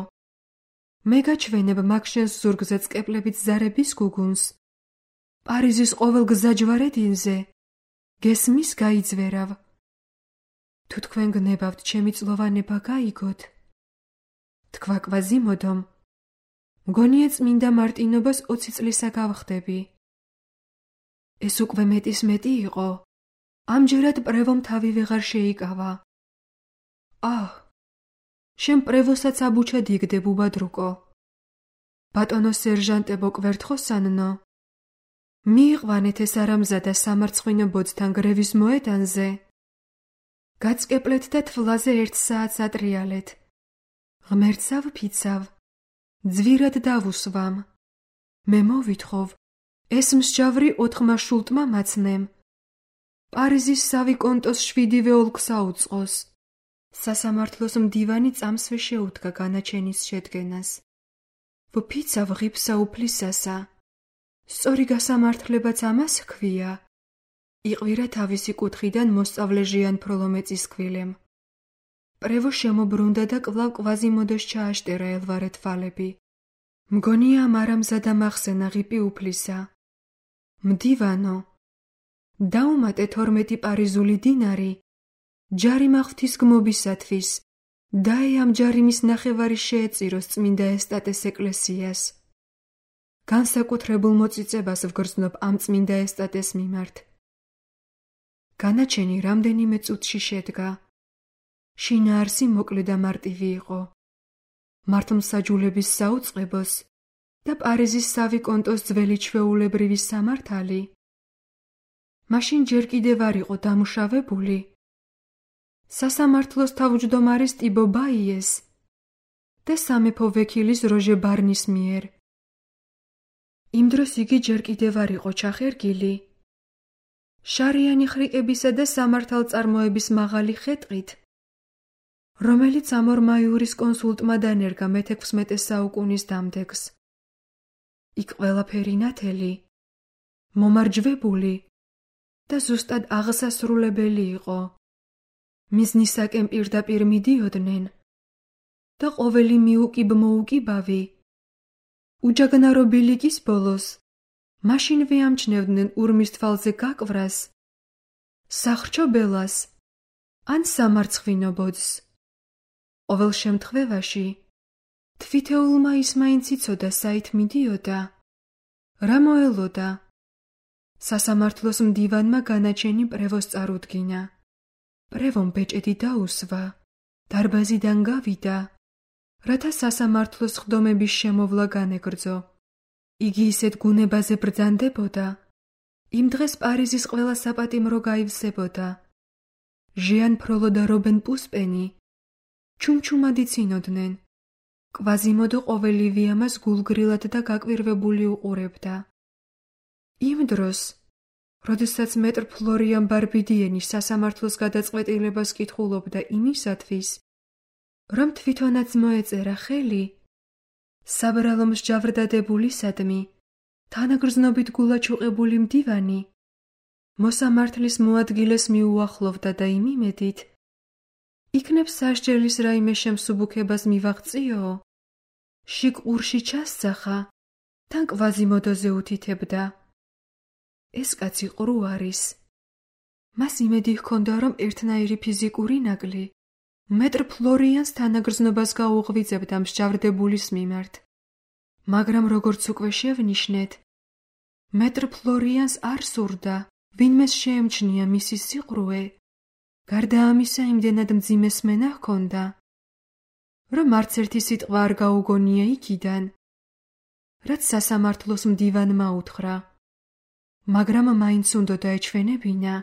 მე გაჩვენებ მაგ შენს ზურგზე წკეპლებით ზარების გუგუნს, პარიზის ყოველ გზაჯვარედინზე, გესმის გაიძვერავ. თუ თქვენ გნებავთ ჩემი წლოვანება გაიგოთ, თქვა კვაზიმოდომ, მგონია წმინდა მარტინობას 20 წლისა გავხდები. ეს უკვე მეტის მეტი იყო, ამჯერად პრევომ თავი ვეღარ შეიკავა. აჰ, შენ პრევოსაც აბუჩად იგდებ უბადრუკო. ბატონო სერჟანტებო კვერთხოსანნო, მიიყვანეთ ეს არამზადა სამარცხვინო ბოძთან გრევის მოედანზე. გაწკეპლეთ და თვლაზე 1 საათს ატრიალეთ. ღმერთსავ ფიცავ, ძვირად დავუსვამ. მე მოვითხოვ, ეს მსჯავრი 4 მაშულტმა მაცნემ. პარიზის სავიკონტოს 7-ვე ოლქს აუწყოს. სასამართლოს მდივანი წამსვე შეუდგა განაჩენის შედგენას. ვფიცავ ღიფსა უფლისასა. სწორი გასამართლებაც ამას ჰქვია. იყვირა თავისი კუთხიდან მოსწავლე ჟიან ფროლომეწის კვილემ. პრევო შემობრუნდა და კვლავ კვაზიმოდოს ჩააშტერა ელვარე თვალები. მგონია ამ არამზადა მახსენა ღიპი უფლისა. მდივანო, დაუმატე 12 პარიზული დინარი ჯარიმა ღვთისგმობისათვის, დაე ამ ჯარიმის ნახევარი შეეწიროს წმინდა ესტატეს ეკლესიას. განსაკუთრებულ მოწიწებას ვგრძნობ ამ წმინდა ესტატეს მიმართ. განაჩენი რამდენიმე წუთში შედგა. შინაარსი მოკლე და მარტივი იყო. მართლმსაჯულების საუწყებოს და პარიზის სავიკონტოს ძველი ჩვეულებრივი სამართალი. მაშინ ჯერ კიდევ არ იყო დამუშავებული სასამართლოს თავმჯდომარის ტიბო ბაიეს და სამეფო ვექილის როჟე ბარნის მიერ. იმ დროს იგი ჯერ კიდევ არ იყო ჩახერგილი. შარიანი ხრიკებისა და სამართალწარმოების მაღალი ხეტყით, რომელიც ამორმა იურისკონსულტმა დანერგა მე-16 საუკუნის დამდეგს. იქ ყველაფერი ნათელი, მომარჯვებული და ზუსტად აღსასრულებელი იყო. მიზნისაკენ პირდაპირ მიდიოდნენ და ყოველი მიუკიბ-მოუკიბავი უჯაგნარო ბილიკის ბოლოს მაშინვე ამჩნევდნენ ურმის თვალზე გაკვვრას, სახრჩობელას ან სამარცხვინო ბოძს. ყოველ შემთხვევაში თვითეულმა ის მაინც იცოდა საით მიდიოდა, რა მოელოდა. სასამართლოს მდივანმა განაჩენი პრევოს წარუდგინა. პრევომ ბეჭედი დაუსვა, დარბაზიდან გავიდა, რათა სასამართლოს ხდომების შემოვლა განეგრძო. იგი ისეთ გუნებაზე ბრძანდებოდა, იმ დღეს პარიზის ყველა საპატიმრო გაივსებოდა. ჟიან ფროლო და რობენ პუსპენი ჩუმჩუმად იცინოდნენ. კვაზიმოდო ყოველივე ამას გულგრილად და გაკვირვებული უყურებდა. იმ დროს, როდესაც მეტრ ფლორიან ბარბიდიენი სასამართლოს გადაწყვეტილებას კითხულობდა იმისათვის, რომ თვითონაც მოეწერა ხელი, საბრალო მსჯავრდადებულისადმი, თანაგრძნობით გულაჩუყებული მდივანი, მოსამართლის მოადგილეს მიუახლოვდა და იმ იმედით, იქნებ სასჯელის რაიმე შემსუბუქებას მივაღწიო, შიგ ყურში ჩასძახა, თან კვაზიმოდოზე უთითებდა. ეს კაცი ყრუ არის. მას იმედი ჰქონდა, რომ ერთნაირი ფიზიკური ნაკლი მეტრ ფლორიანს თანაგრძნობას გაუღვიძებდა მსჯავრდებულის მიმართ. მაგრამ როგორც უკვე შევნიშნეთ, მეტრ ფლორიანს არ სურდა ვინმეს შეემჩნია მისი სიყრუე. გარდა ამისა იმდენად მძიმე სმენა ჰქონდა, რომ არც ერთი სიტყვა არ გაუგონია იქიდან, რაც სასამართლოს მდივანმა უთხრა. მაგრამ მაინც უნდოდა ეჩვენებინა,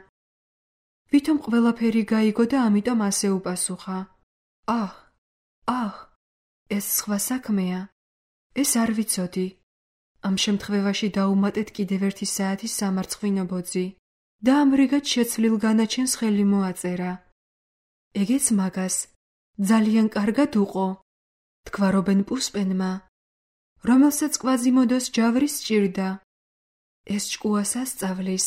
ვითომ ყველაფერი გაიგო და ამიტომ ასე უპასუხა. აჰ, ეს სხვა საქმეა. ეს არ ვიცოდი. ამ შემთხვევაში დაუმატეთ კიდევ 1 საათის სამარცხვინო ბოძი და ამრიგად შეცვლილ განაჩენს ხელი მოაწერა. ეგეც მაგას ძალიან კარგად უყო, თქვა რობენ პუსპენმა, რომელსაც კვაზიმოდოს ჯავრი სჭირდა. ეს ჭკუას ასწავლის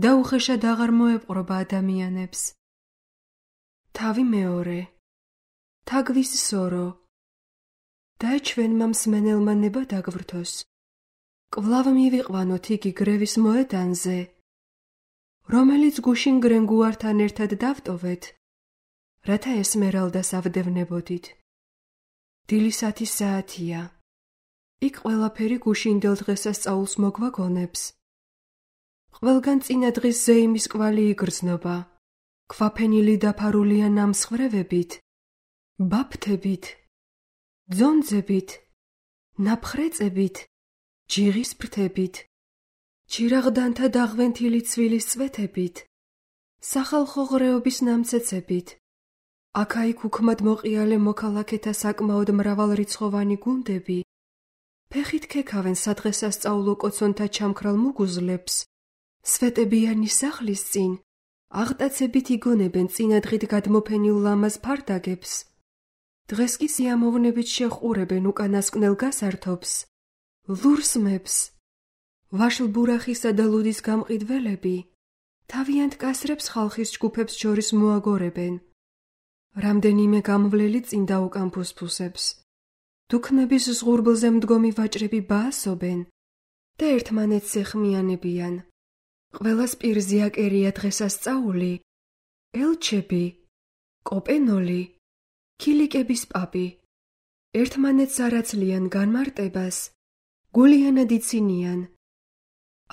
და უხეშად აღარ მოეპყრობა ადამიანებს. თავი მეორე, თაგვის სორო, დაეჩვენმა მსმენელმა ნება დაგვრთოს. კვლავ მივიყვანოთ იგი გრევის მოედანზე, რომელიც გუშინ გრენგუართან ერთად დავტოვეთ, რათა ესმერალდას ავდევნებოდით. დილის 10 საათია. იქ ყველაფერი გუშინდელ დღესასწაულს მოგვაგონებს. ყველგან წინა დღის ზეიმის კვალი იგრძნობა. ქვაფენილი დაფარულია ნამსხვრევებით ბაფთებით, ძონძებით, ნაფხრეწებით, ჯიღის ფრთებით, ჩირაღდანთა დაღვენთილი ცვილის წვეთებით, სახალხო ღრეობის ნამცეცებით, აქა-იქ უქმად მოყიალე მოქალაქეთა საკმაოდ მრავალრიცხოვანი გუნდები, ფეხით ქექავენ სადღესასწაულო კოცონთა ჩამქრალ მუგუზლებს, სვეტებიანი სახლის წინ, აღტაცებით იგონებენ წინადღით გადმოფენილ ლამაზ ფარდაგებს, დღეს კი სიამოვნებით შეჰყურებენ უკანასკნელ გასართობს, ლურსმებს, ვაშლბურახისა და ლუდის გამყიდველები, თავიანთ კასრებს ხალხის ჯგუფებს შორის მოაგორებენ. რამდენიმე გამვლელი წინ დაუკამფუსფუსებს. დუქნების ზღურბლზე მდგომი ვაჭრები ბაასობენ და ერთმანეთს ეხმიანებიან. ყველას პირზე აკერია დღესასწაული, ელჩები, კოპენოლი, ქილიკების პაპი. ერთმანეთს არაცლიან განმარტებას, გულიანად იცინიან.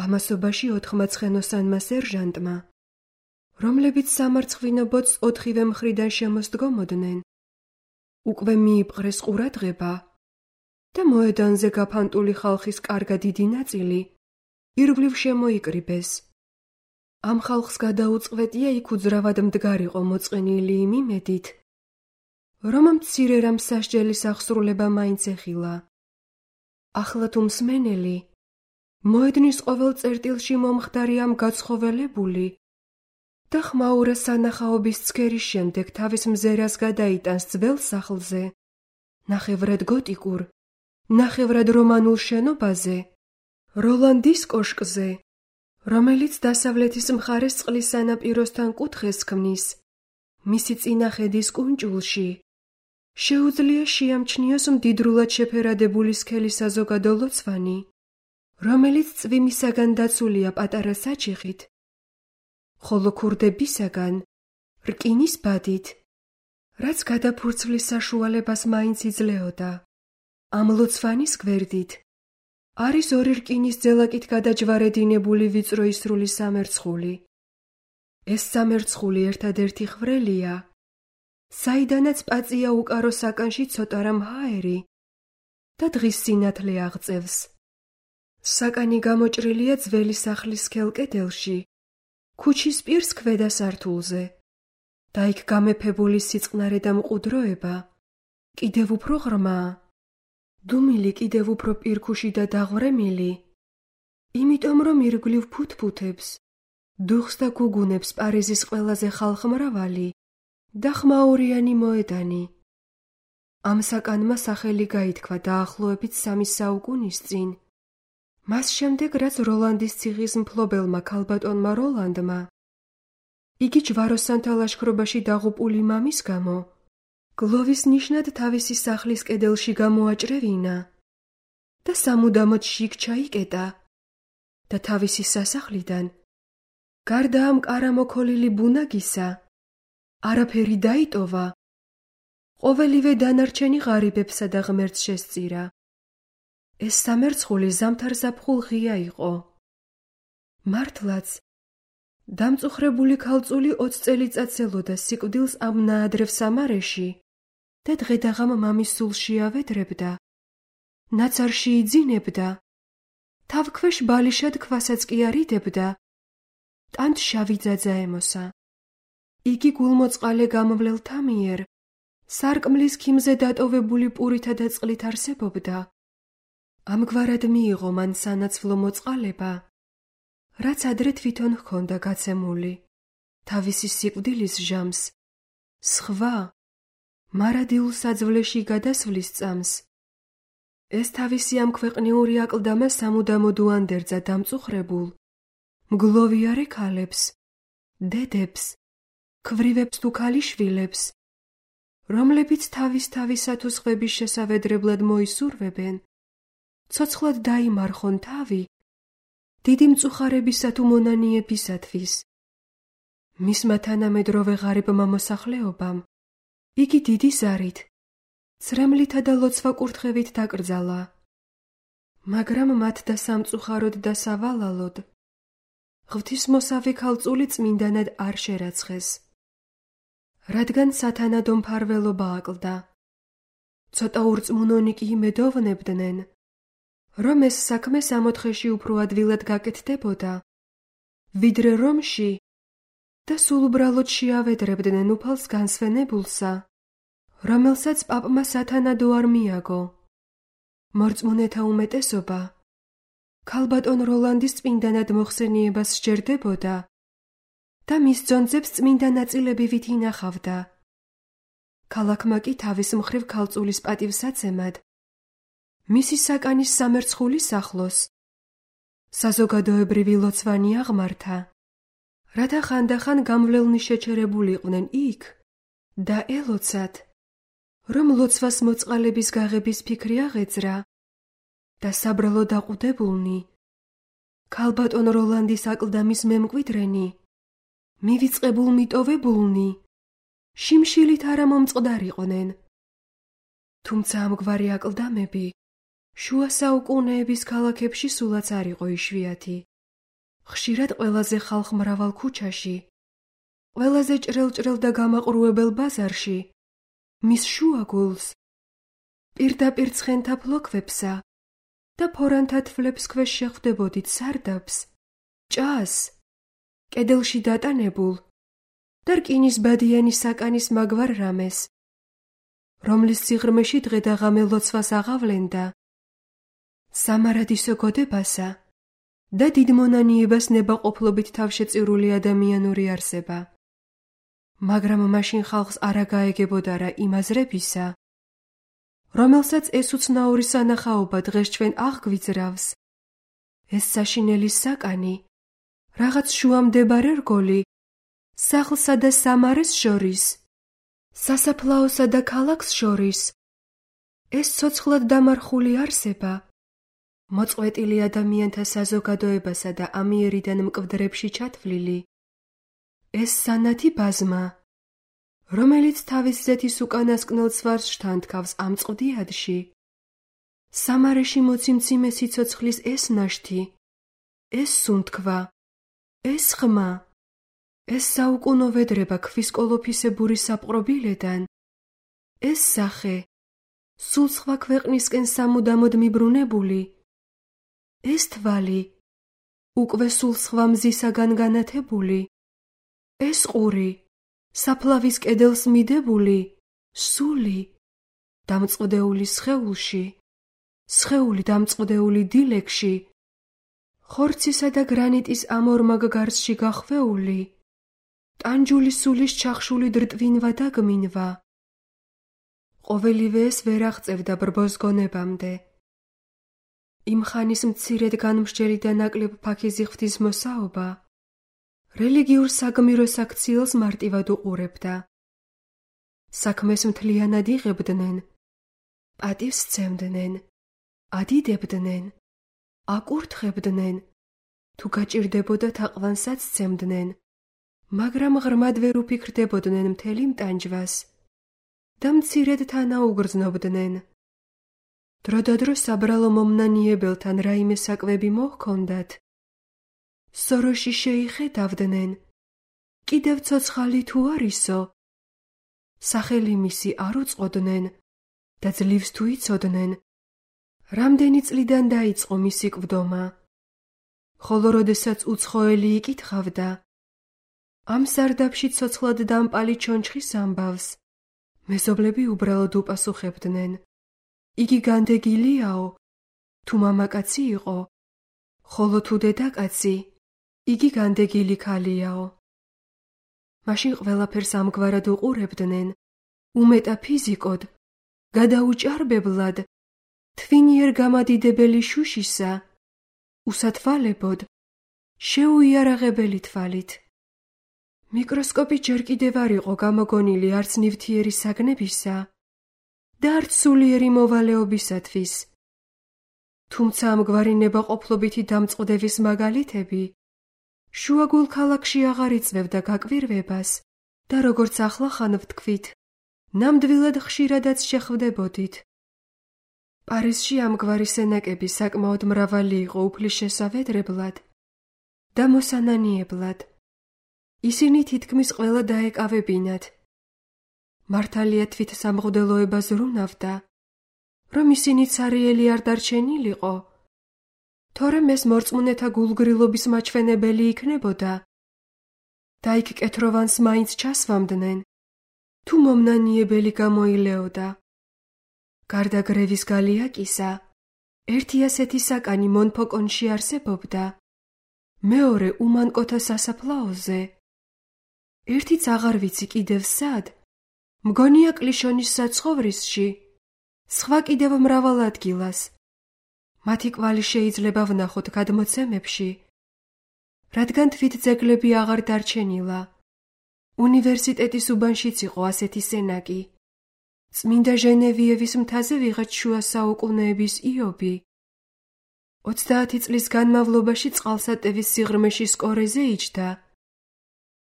ამასობაში 80-ცხენოსანმა სერჟანტმა, რომლებიც სამარცხვინო ბოძს 4-ვე მხრიდან შემოსდგომოდნენ, უკვე მიიპყრეს ყურადღება და მოედანზე გაფანტული ხალხის კარგა დიდი ნაწილი ირგვლივ შემოიკრიბეს. ამ ხალხს გადაუწყვეტია იქ უძრავად მდგარიყო მოწყენილი იმ იმედით, რომ მცირე რამ სასჯელის აღსრულება მაინც ეხილა. ახლა თუ მსმენელი მოედნის ყოველ წერტილში მომხდარი ამ გაცხოველებული და ხმაურა სანახაობის ცქერის შემდეგ თავის მზერას გადაიტანს ძველ სახლზე, ნახევრად გოტიკურ, ნახევრად რომანულ შენობაზე, როლანდის კოშკზე, რომელიც დასავლეთის მხარეს წყლის სანაპიროსთან კუთხეს ქმნის, მისი წინახედის კუნჭულში, შეუძლია შეამჩნიოს მდიდრულად შეფერადებული სქელი საზოგადო ლოცვანი, რომელიც წვიმისაგან დაცულია პატარა საჩიხით, ხოლო ქურდებისაგან რკინის ბადით, რაც გადაფურცვლის საშუალებას მაინც იძლეოდა. ამ ლოცვანის გვერდით არის 2 რკინის ძელაკით გადაჯვარედინებული ვიწრო ისრული სამერცხული. ეს სამერცხული ერთადერთი ხვრელია, საიდანაც პაწია უკარო საკანში ცოტა რამ ჰაერი და დღის სინათლე აღწევს. საკანი გამოჭრილია ძველი სახლის სქელ კედელში, ქუჩის პირს ქვედა სართულზე და იქ გამეფებული სიწყნარე და მყუდროება კიდევ უფრო ღრმაა, დუმილი კიდევ უფრო პირქუში და დაღვრემილი, იმიტომ რომ ირგვლივ ფუთფუთებს, დუხს და გუგუნებს პარიზის ყველაზე ხალხმრავალი და ხმაურიანი მოედანი. ამ საკანმა სახელი გაითქვა დაახლოებით 3 საუკუნის წინ, მას შემდეგ რაც როლანდის ციხის მფლობელმა ქალბატონმა როლანდმა, იგი ჯვაროსანთა ლაშქრობაში დაღუპული მამის გამო, გლოვის ნიშნად თავისი სახლის კედელში გამოაჭრევინა და სამუდამოდ შიგ ჩაიკეტა და თავისი სასახლიდან, გარდა ამ კარამოქოლილი ბუნაგისა, არაფერი დაიტოვა, ყოველივე დანარჩენი ღარიბებსა და ღმერთს შესწირა. ეს სამერცხული ზამთარ-ზაფხულ ღია იყო. მართლაც, დამწუხრებული ქალწული 20 წელიწადს ელოდა სიკვდილს ამ ნაადრევ სამარეში და დღედაღამ მამის სულში ავედრებდა, ნაცარში იძინებდა, თავქვეშ ბალიშად ქვასაც კი არიდებდა, ტანთ შავი ძაძა ემოსა. იგი გულმოწყალე გამვლელთა მიერ სარკმლის ქიმზე დატოვებული პურითა და წყლით არსებობდა. ამგვარად მიიღო მან სანაცვლო მოწყალება, რაც ადრე თვითონ ჰქონდა გაცემული, თავისი სიკვდილის ჟამს, სხვა, მარადილ საძვლეში გადასვლის წამს. ეს თავისი ამ ქვეყნიური აკლდამა სამუდამოდ უანდერძა დამწუხრებულ, მგლოვიარე ქალებს, დედებს, ქვრივებს თუ ქალიშვილებს, რომლებიც თავისათუ სხვების შესავედრებლად მოისურვებენ, ცოცხლად დაიმარხონ თავი, დიდი მწუხარებისა თუ მონანიებისათვის. მისმა თანამედროვე ღარიბმა მოსახლეობამ იგი დიდი ზარით, ცრემლითა და ლოცვა-კურთხევით დაკრძალა, მაგრამ მათ და სამწუხაროდ და სავალალოდ ღვთისმოსავი ქალწული წმინდანად არ შერაცხეს. რადგან სათანადო მფარველობა აკლდა. ცოტა ურწმუნონი კი იმედოვნებდნენ, რომ ეს საქმე 4-ხეში უფრო ადვილად გაკეთდებოდა, ვიდრე რომში და სულ უბრალოდ შეავედრებდნენ უფალს განსვენებულსა, რომელსაც პაპმა სათანადო არ მიაგო. მორწმუნეთა უმეტესობა ქალბატონ როლანდის წმინდანად მოხსენიებას სჯერდებოდა და მის ძონძებს წმინდა ნაწილები ვით ინახავდა. ქალაქმა კი თავის მხრივ ქალწულის პატივსაცემად მისი საკანის სამერცხულის ახლოს საზოგადოებრივი ლოცვანი აღმართა, რათა ხანდახან გამვლელნი შეჩერებულიყვნენ იქ და ელოცათ, რომ ლოცვას მოწყალების გაღების ფიქრი აღეძრა და საბრალო დაყუდებულნი ქალბატონ როლანდის აკლდამის მემკვიდრენი, მივიწყებულ მიტოვებულნი შიმშილით არა მომწყდარიყვნენ. თუმცა ამგვარი აკლდამები შუა საუკუნეების ქალაქებში სულაც არ იყო იშვიათი. ხშირად ყველაზე ხალხმრავალ ქუჩაში, ყველაზე ჭრელ-ჭრელ და გამაყრუებელ ბაზარში, მის შუაგულს, პირდაპირ ცხენთა ფლოქვებსა და ფორანთა თვლებს ქვეშ შეხვდებოდით სარდაფს, ჭას, კედელში დატანებულ და რკინის ბადიანი საკანის მაგვარ რამეს, რომლის სიღრმეში დღე და ღამე ლოცვას აღავლენდა, სამარადისო გოდებასა და დიდ მონანიებას ნებაყოფლობით თავშეწირული ადამიანური არსება. მაგრამ მაშინ ხალხს არა გაეგებოდა რა იმ აზრებისა, რომელსაც ეს უცნაური სანახაობა დღეს ჩვენ აღგვიძრავს. ეს საშინელი საკანი, რაღაც შუამდებარე რგოლი, სახლსა და სამარეს შორის, სასაფლაოსა და ქალაქს შორის, ეს ცოცხლად დამარხული არსება, მოწყვეტილი ადამიანთა საზოგადოებასა და ამიერიდან მკვდრებში ჩათვლილი, ეს სანათი ბაზმა, რომელიც თავის ზეთის უკანასკნელ ცვარს შთანთქავს ამ წყდიადში, სამარეში მოციმციმე სიცოცხლის ეს ნაშთი, ეს სუნთქვა, ეს ხმა, ეს საუკუნო ვედრება ქვის კოლოფისებური საპყრობილედან, ეს სახე, სულ სხვა ქვეყნისკენ სამუდამოდ მიბრუნებული, ეს თვალი, უკვე სულ სხვა მზისაგან განათებული, ეს ყური, საფლავის კედელს მიდებული, სული, დამწყვდეული სხეულში, სხეული დამწყვდეული დილეგში, ხორცისა და გრანიტის ამორმაგ გარსში გახვეული, ტანჯული სულის ჩახშული დრტვინვა და გმინვა. ყოველივე ეს ვერ აღწევდა ბრბოს გონებამდე. იმ ხანის მცირედ განმსჯელი და ნაკლებ ფაქიზი ღვთისმოსაობა რელიგიურ საგმიროს აქციელს მარტივად უყურებდა. საქმეს მთლიანად იღებდნენ, პატივს სცემდნენ, ადიდებდნენ, აკურთხებდნენ, თუ გაჭირდებოდა თაყვანსაც სცემდნენ, მაგრამ ღრმად ვერ უფიქრდებოდნენ მთელი მტანჯვას და მცირედ თანაუგრძნობდნენ. დროდადრო საბრალო მომნანიებელთან რაიმე საკვები მოჰქონდათ, სოროში შეიხედავდნენ, კიდევ ცოცხალი თუ არისო, სახელი მისი არ უწყოდნენ და ძლივს თუ იცოდნენ, რამდენი წლიდან დაიწყო მისი კვდომა, ხოლო როდესაც უცხოელი იკითხავდა, ამ სარდაფში ცოცხლად დამპალი ჩონჩხის ამბავს, მეზობლები უბრალოდ უპასუხებდნენ, იგი განდეგილიაო, თუ მამაკაცი იყო, ხოლო თუ დედაკაცი, იგი განდეგილი ქალიაო. მაშინ ყველაფერს ამგვარად უყურებდნენ, უმეტაფიზიკოდ, გადაუჭარბებლად, თვინიერ გამადიდებელი შუშისა, უსათვალებოდ, შეუიარაღებელი თვალით. მიკროსკოპი ჯერ კიდევ არ იყო გამოგონილი არც ნივთიერი საგნებისა და არც სულიერი მოვალეობისათვის. თუმცა ამგვარი ნებაყოფლობითი დამწყვდების მაგალითები შუაგულ ქალაქში აღარ იწვევდა გაკვირვებას და როგორც ახლახან ვთქვით, ნამდვილად ხშირადაც შეხვდებოდით. პარიზში ამგვარი სენაკები საკმაოდ მრავალი იყო უფლის შესავედრებლად და მოსანანიებლად. ისინი თითქმის ყველა დაეკავებინათ მართალია თვით სამღვდელოება ზრუნავდა, რომ ისინი ცარიელი არ დარჩენილიყო, თორემ ეს მორწმუნეთა გულგრილობის მაჩვენებელი იქნებოდა და იქ კეთროვანს მაინც ჩასვამდნენ, თუ მომნანიებელი გამოილეოდა. გარდა გრევის გალიაკისა, ერთი ასეთი საკანი მონფოკონში არსებობდა, მეორე უმანკოთა სასაფლაოზე. ერთიც აღარ ვიცი კიდევ სად, მგონია კლიშონის საცხოვრისში, სხვა კიდევ მრავალ ადგილას. მათი კვალი შეიძლება ვნახოთ გადმოცემებში, რადგან თვით ძეგლები აღარ დარჩენილა. უნივერსიტეტის უბანშიც იყო ასეთი სენაკი. წმინდა ჟენევიევის მთაზე ვიღაც შუა საუკუნეების იობი 30 წლის განმავლობაში წყალსატევის სიღრმეში სკორეზე იჯდა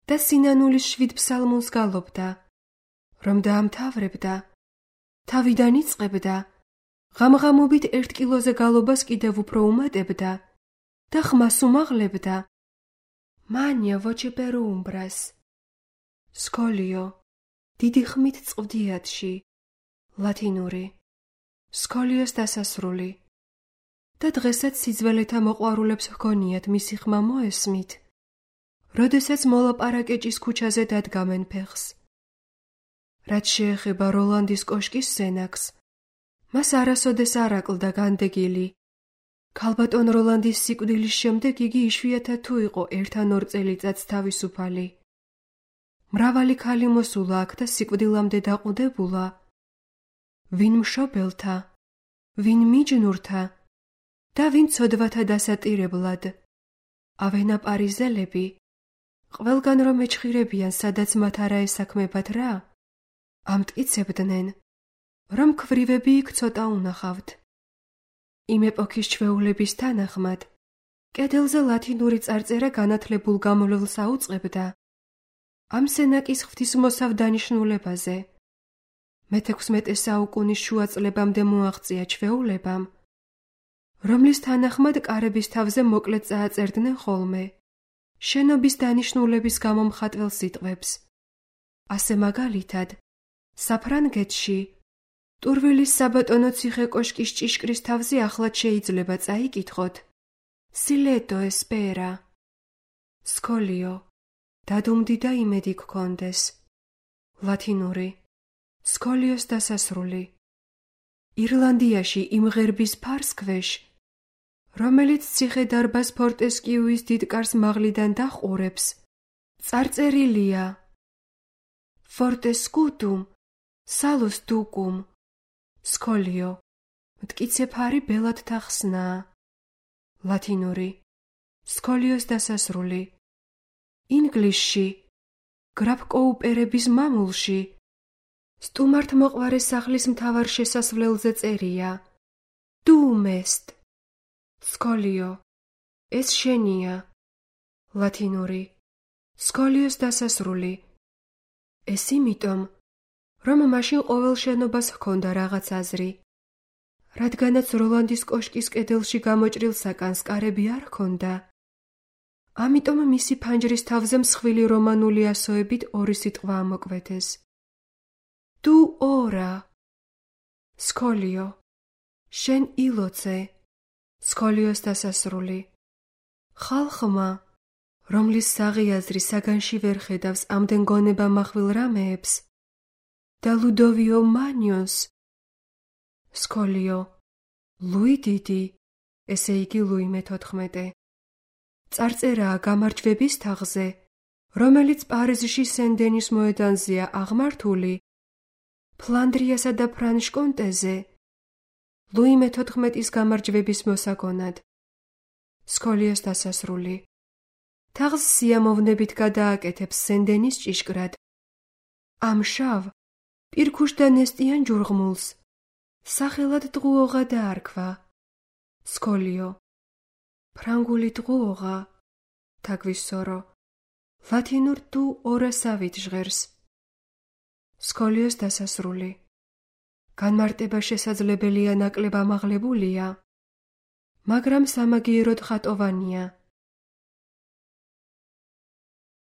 და სინანულის 7 ფსალმუნს გალობდა, რომ დაამთავრებდა, თავიდან იწყებდა, ღამღამობით 1 კილოზე გალობას კიდევ უფრო უმატებდა და ხმას უმაღლებდა. მანია voce per umbras. სკოლიო, დიდი ხმით წვდიათში, ლათინური, სკოლიოს დასასრული. და დღესაც სიძველეთა მოყვარულებს ჰგონიათ მისი ხმა მოესმით, როდესაც მოლაპარაკეჭის ქუჩაზე დადგამენ ფეხს. რაც შეეხება როლანდის კოშკის სენაკს, მას არასოდეს არ აკლდა განდეგილი. ქალბატონ როლანდის სიკვდილის შემდეგ იგი იშვიათად თუ იყო 1-2 წელიწადს თავისუფალი. მრავალი ქალი მოსულა აქ და სიკვდილამდე დაყუდებულა. ვინ მშობელთა, ვინ მიჯნურთა და ვინ ცოდვათა დასატირებლად. ავენა პარიზელები, ყველგან რომ ეჩხირებიან, სადაც მათ არა ესაქმებათ რა, ამტკიცებდნენ, რომ ქვრივები იქ ცოტა უნახავთ. იმ ეპოქის ჩვეულების თანახმად, კედელზე ლათინური წარწერა განათლებულ გამოვლელს აუწყებდა ამ სენაკის ღვთისმოსავ დანიშნულებაზე. მე-16 საუკუნის შუა წლებამდე მოაღწია ჩვეულებამ, რომლის თანახმად კარების თავზე მოკლედ წააწერდნენ ხოლმე შენობის დანიშნულების გამომხატველ სიტყვებს. ასე მაგალითად, საფრანგეთში ტურვილის საბატონო ციხე კოშკის ჭიშკრის თავზე ახლად შეიძლება წაიკითხოთ სილეტო ესპერა. სკოლიო, დადუმდი და იმედი გქონდეს. ლათინური, სკოლიოს დასასრული. ირლანდიაში იმ ღერბის ფარსქვეშ, რომელიც ციხე-დარბაზ ფორტესკიუის დიდკარს მაღლიდან დაჰყურებს, წარწერილია Fortescutum salus ducum. სკოლიო, მტკიცე ფარი ბელად თახსნაა. ლათინური, სკოლიოს დასასრული. ინგლისში, გრაფ კოუპერების მამულში, სტუმართ მოყვარე სახლის მთავარ შესასვლელზე წერია დუმესტ. სკოლიო, ეს შენია. ლათინური, სკოლიოს დასასრული. ეს იმიტომ, რომ მაშინ ყოველ შენობას ჰქონდა რაღაც აზრი. რადგანაც როლანდის კოშკის კედელში გამოჭრილ საკანს კარები არ ჰქონდა, ამიტომ მისი ფანჯრის თავზე მსხვილი რომანული ასოებით 2 სიტყვა ამოკვეთეს. თუ ორა. სკოლიო, შენ ილოცე. სკოლიოს დასასრული. ხალხმა, რომლის საღიაზრი საგანში ვერ ხედავს ამდენ გონება מחვილ რამეებს და ლუდოვიო მანიოს. სკოლიო, ლუი დიდი, ესე იგი ლუი მე-14. წარწერაა გამარჯვების თაღზე, რომელიც პარიზში სენ-დენის მოედანზეა აღმართული, ფლანდრიასა და ფრანშ-კონტეზე, ლუი მე-14-ის გამარჯვების მოსაგონად. სკოლიოს დასასრული. თაღს სიამოვნებით გადააკეთებს სენ-დენის ჭიშკრად. ამშავ, პირქუშ და ნესტიან ჯურღმულს, სახელად დღუოღა დაარქვა. სკოლიო, ფრანგული დღუოღა, თაგვისორო, ლათინურ თუ ორასავით ჟღერს. სკოლიოს დასასრული. განმარტება შესაძლებელია ნაკლებ ამაღლებულია, მაგრამ სამაგიეროდ ხატოვანია.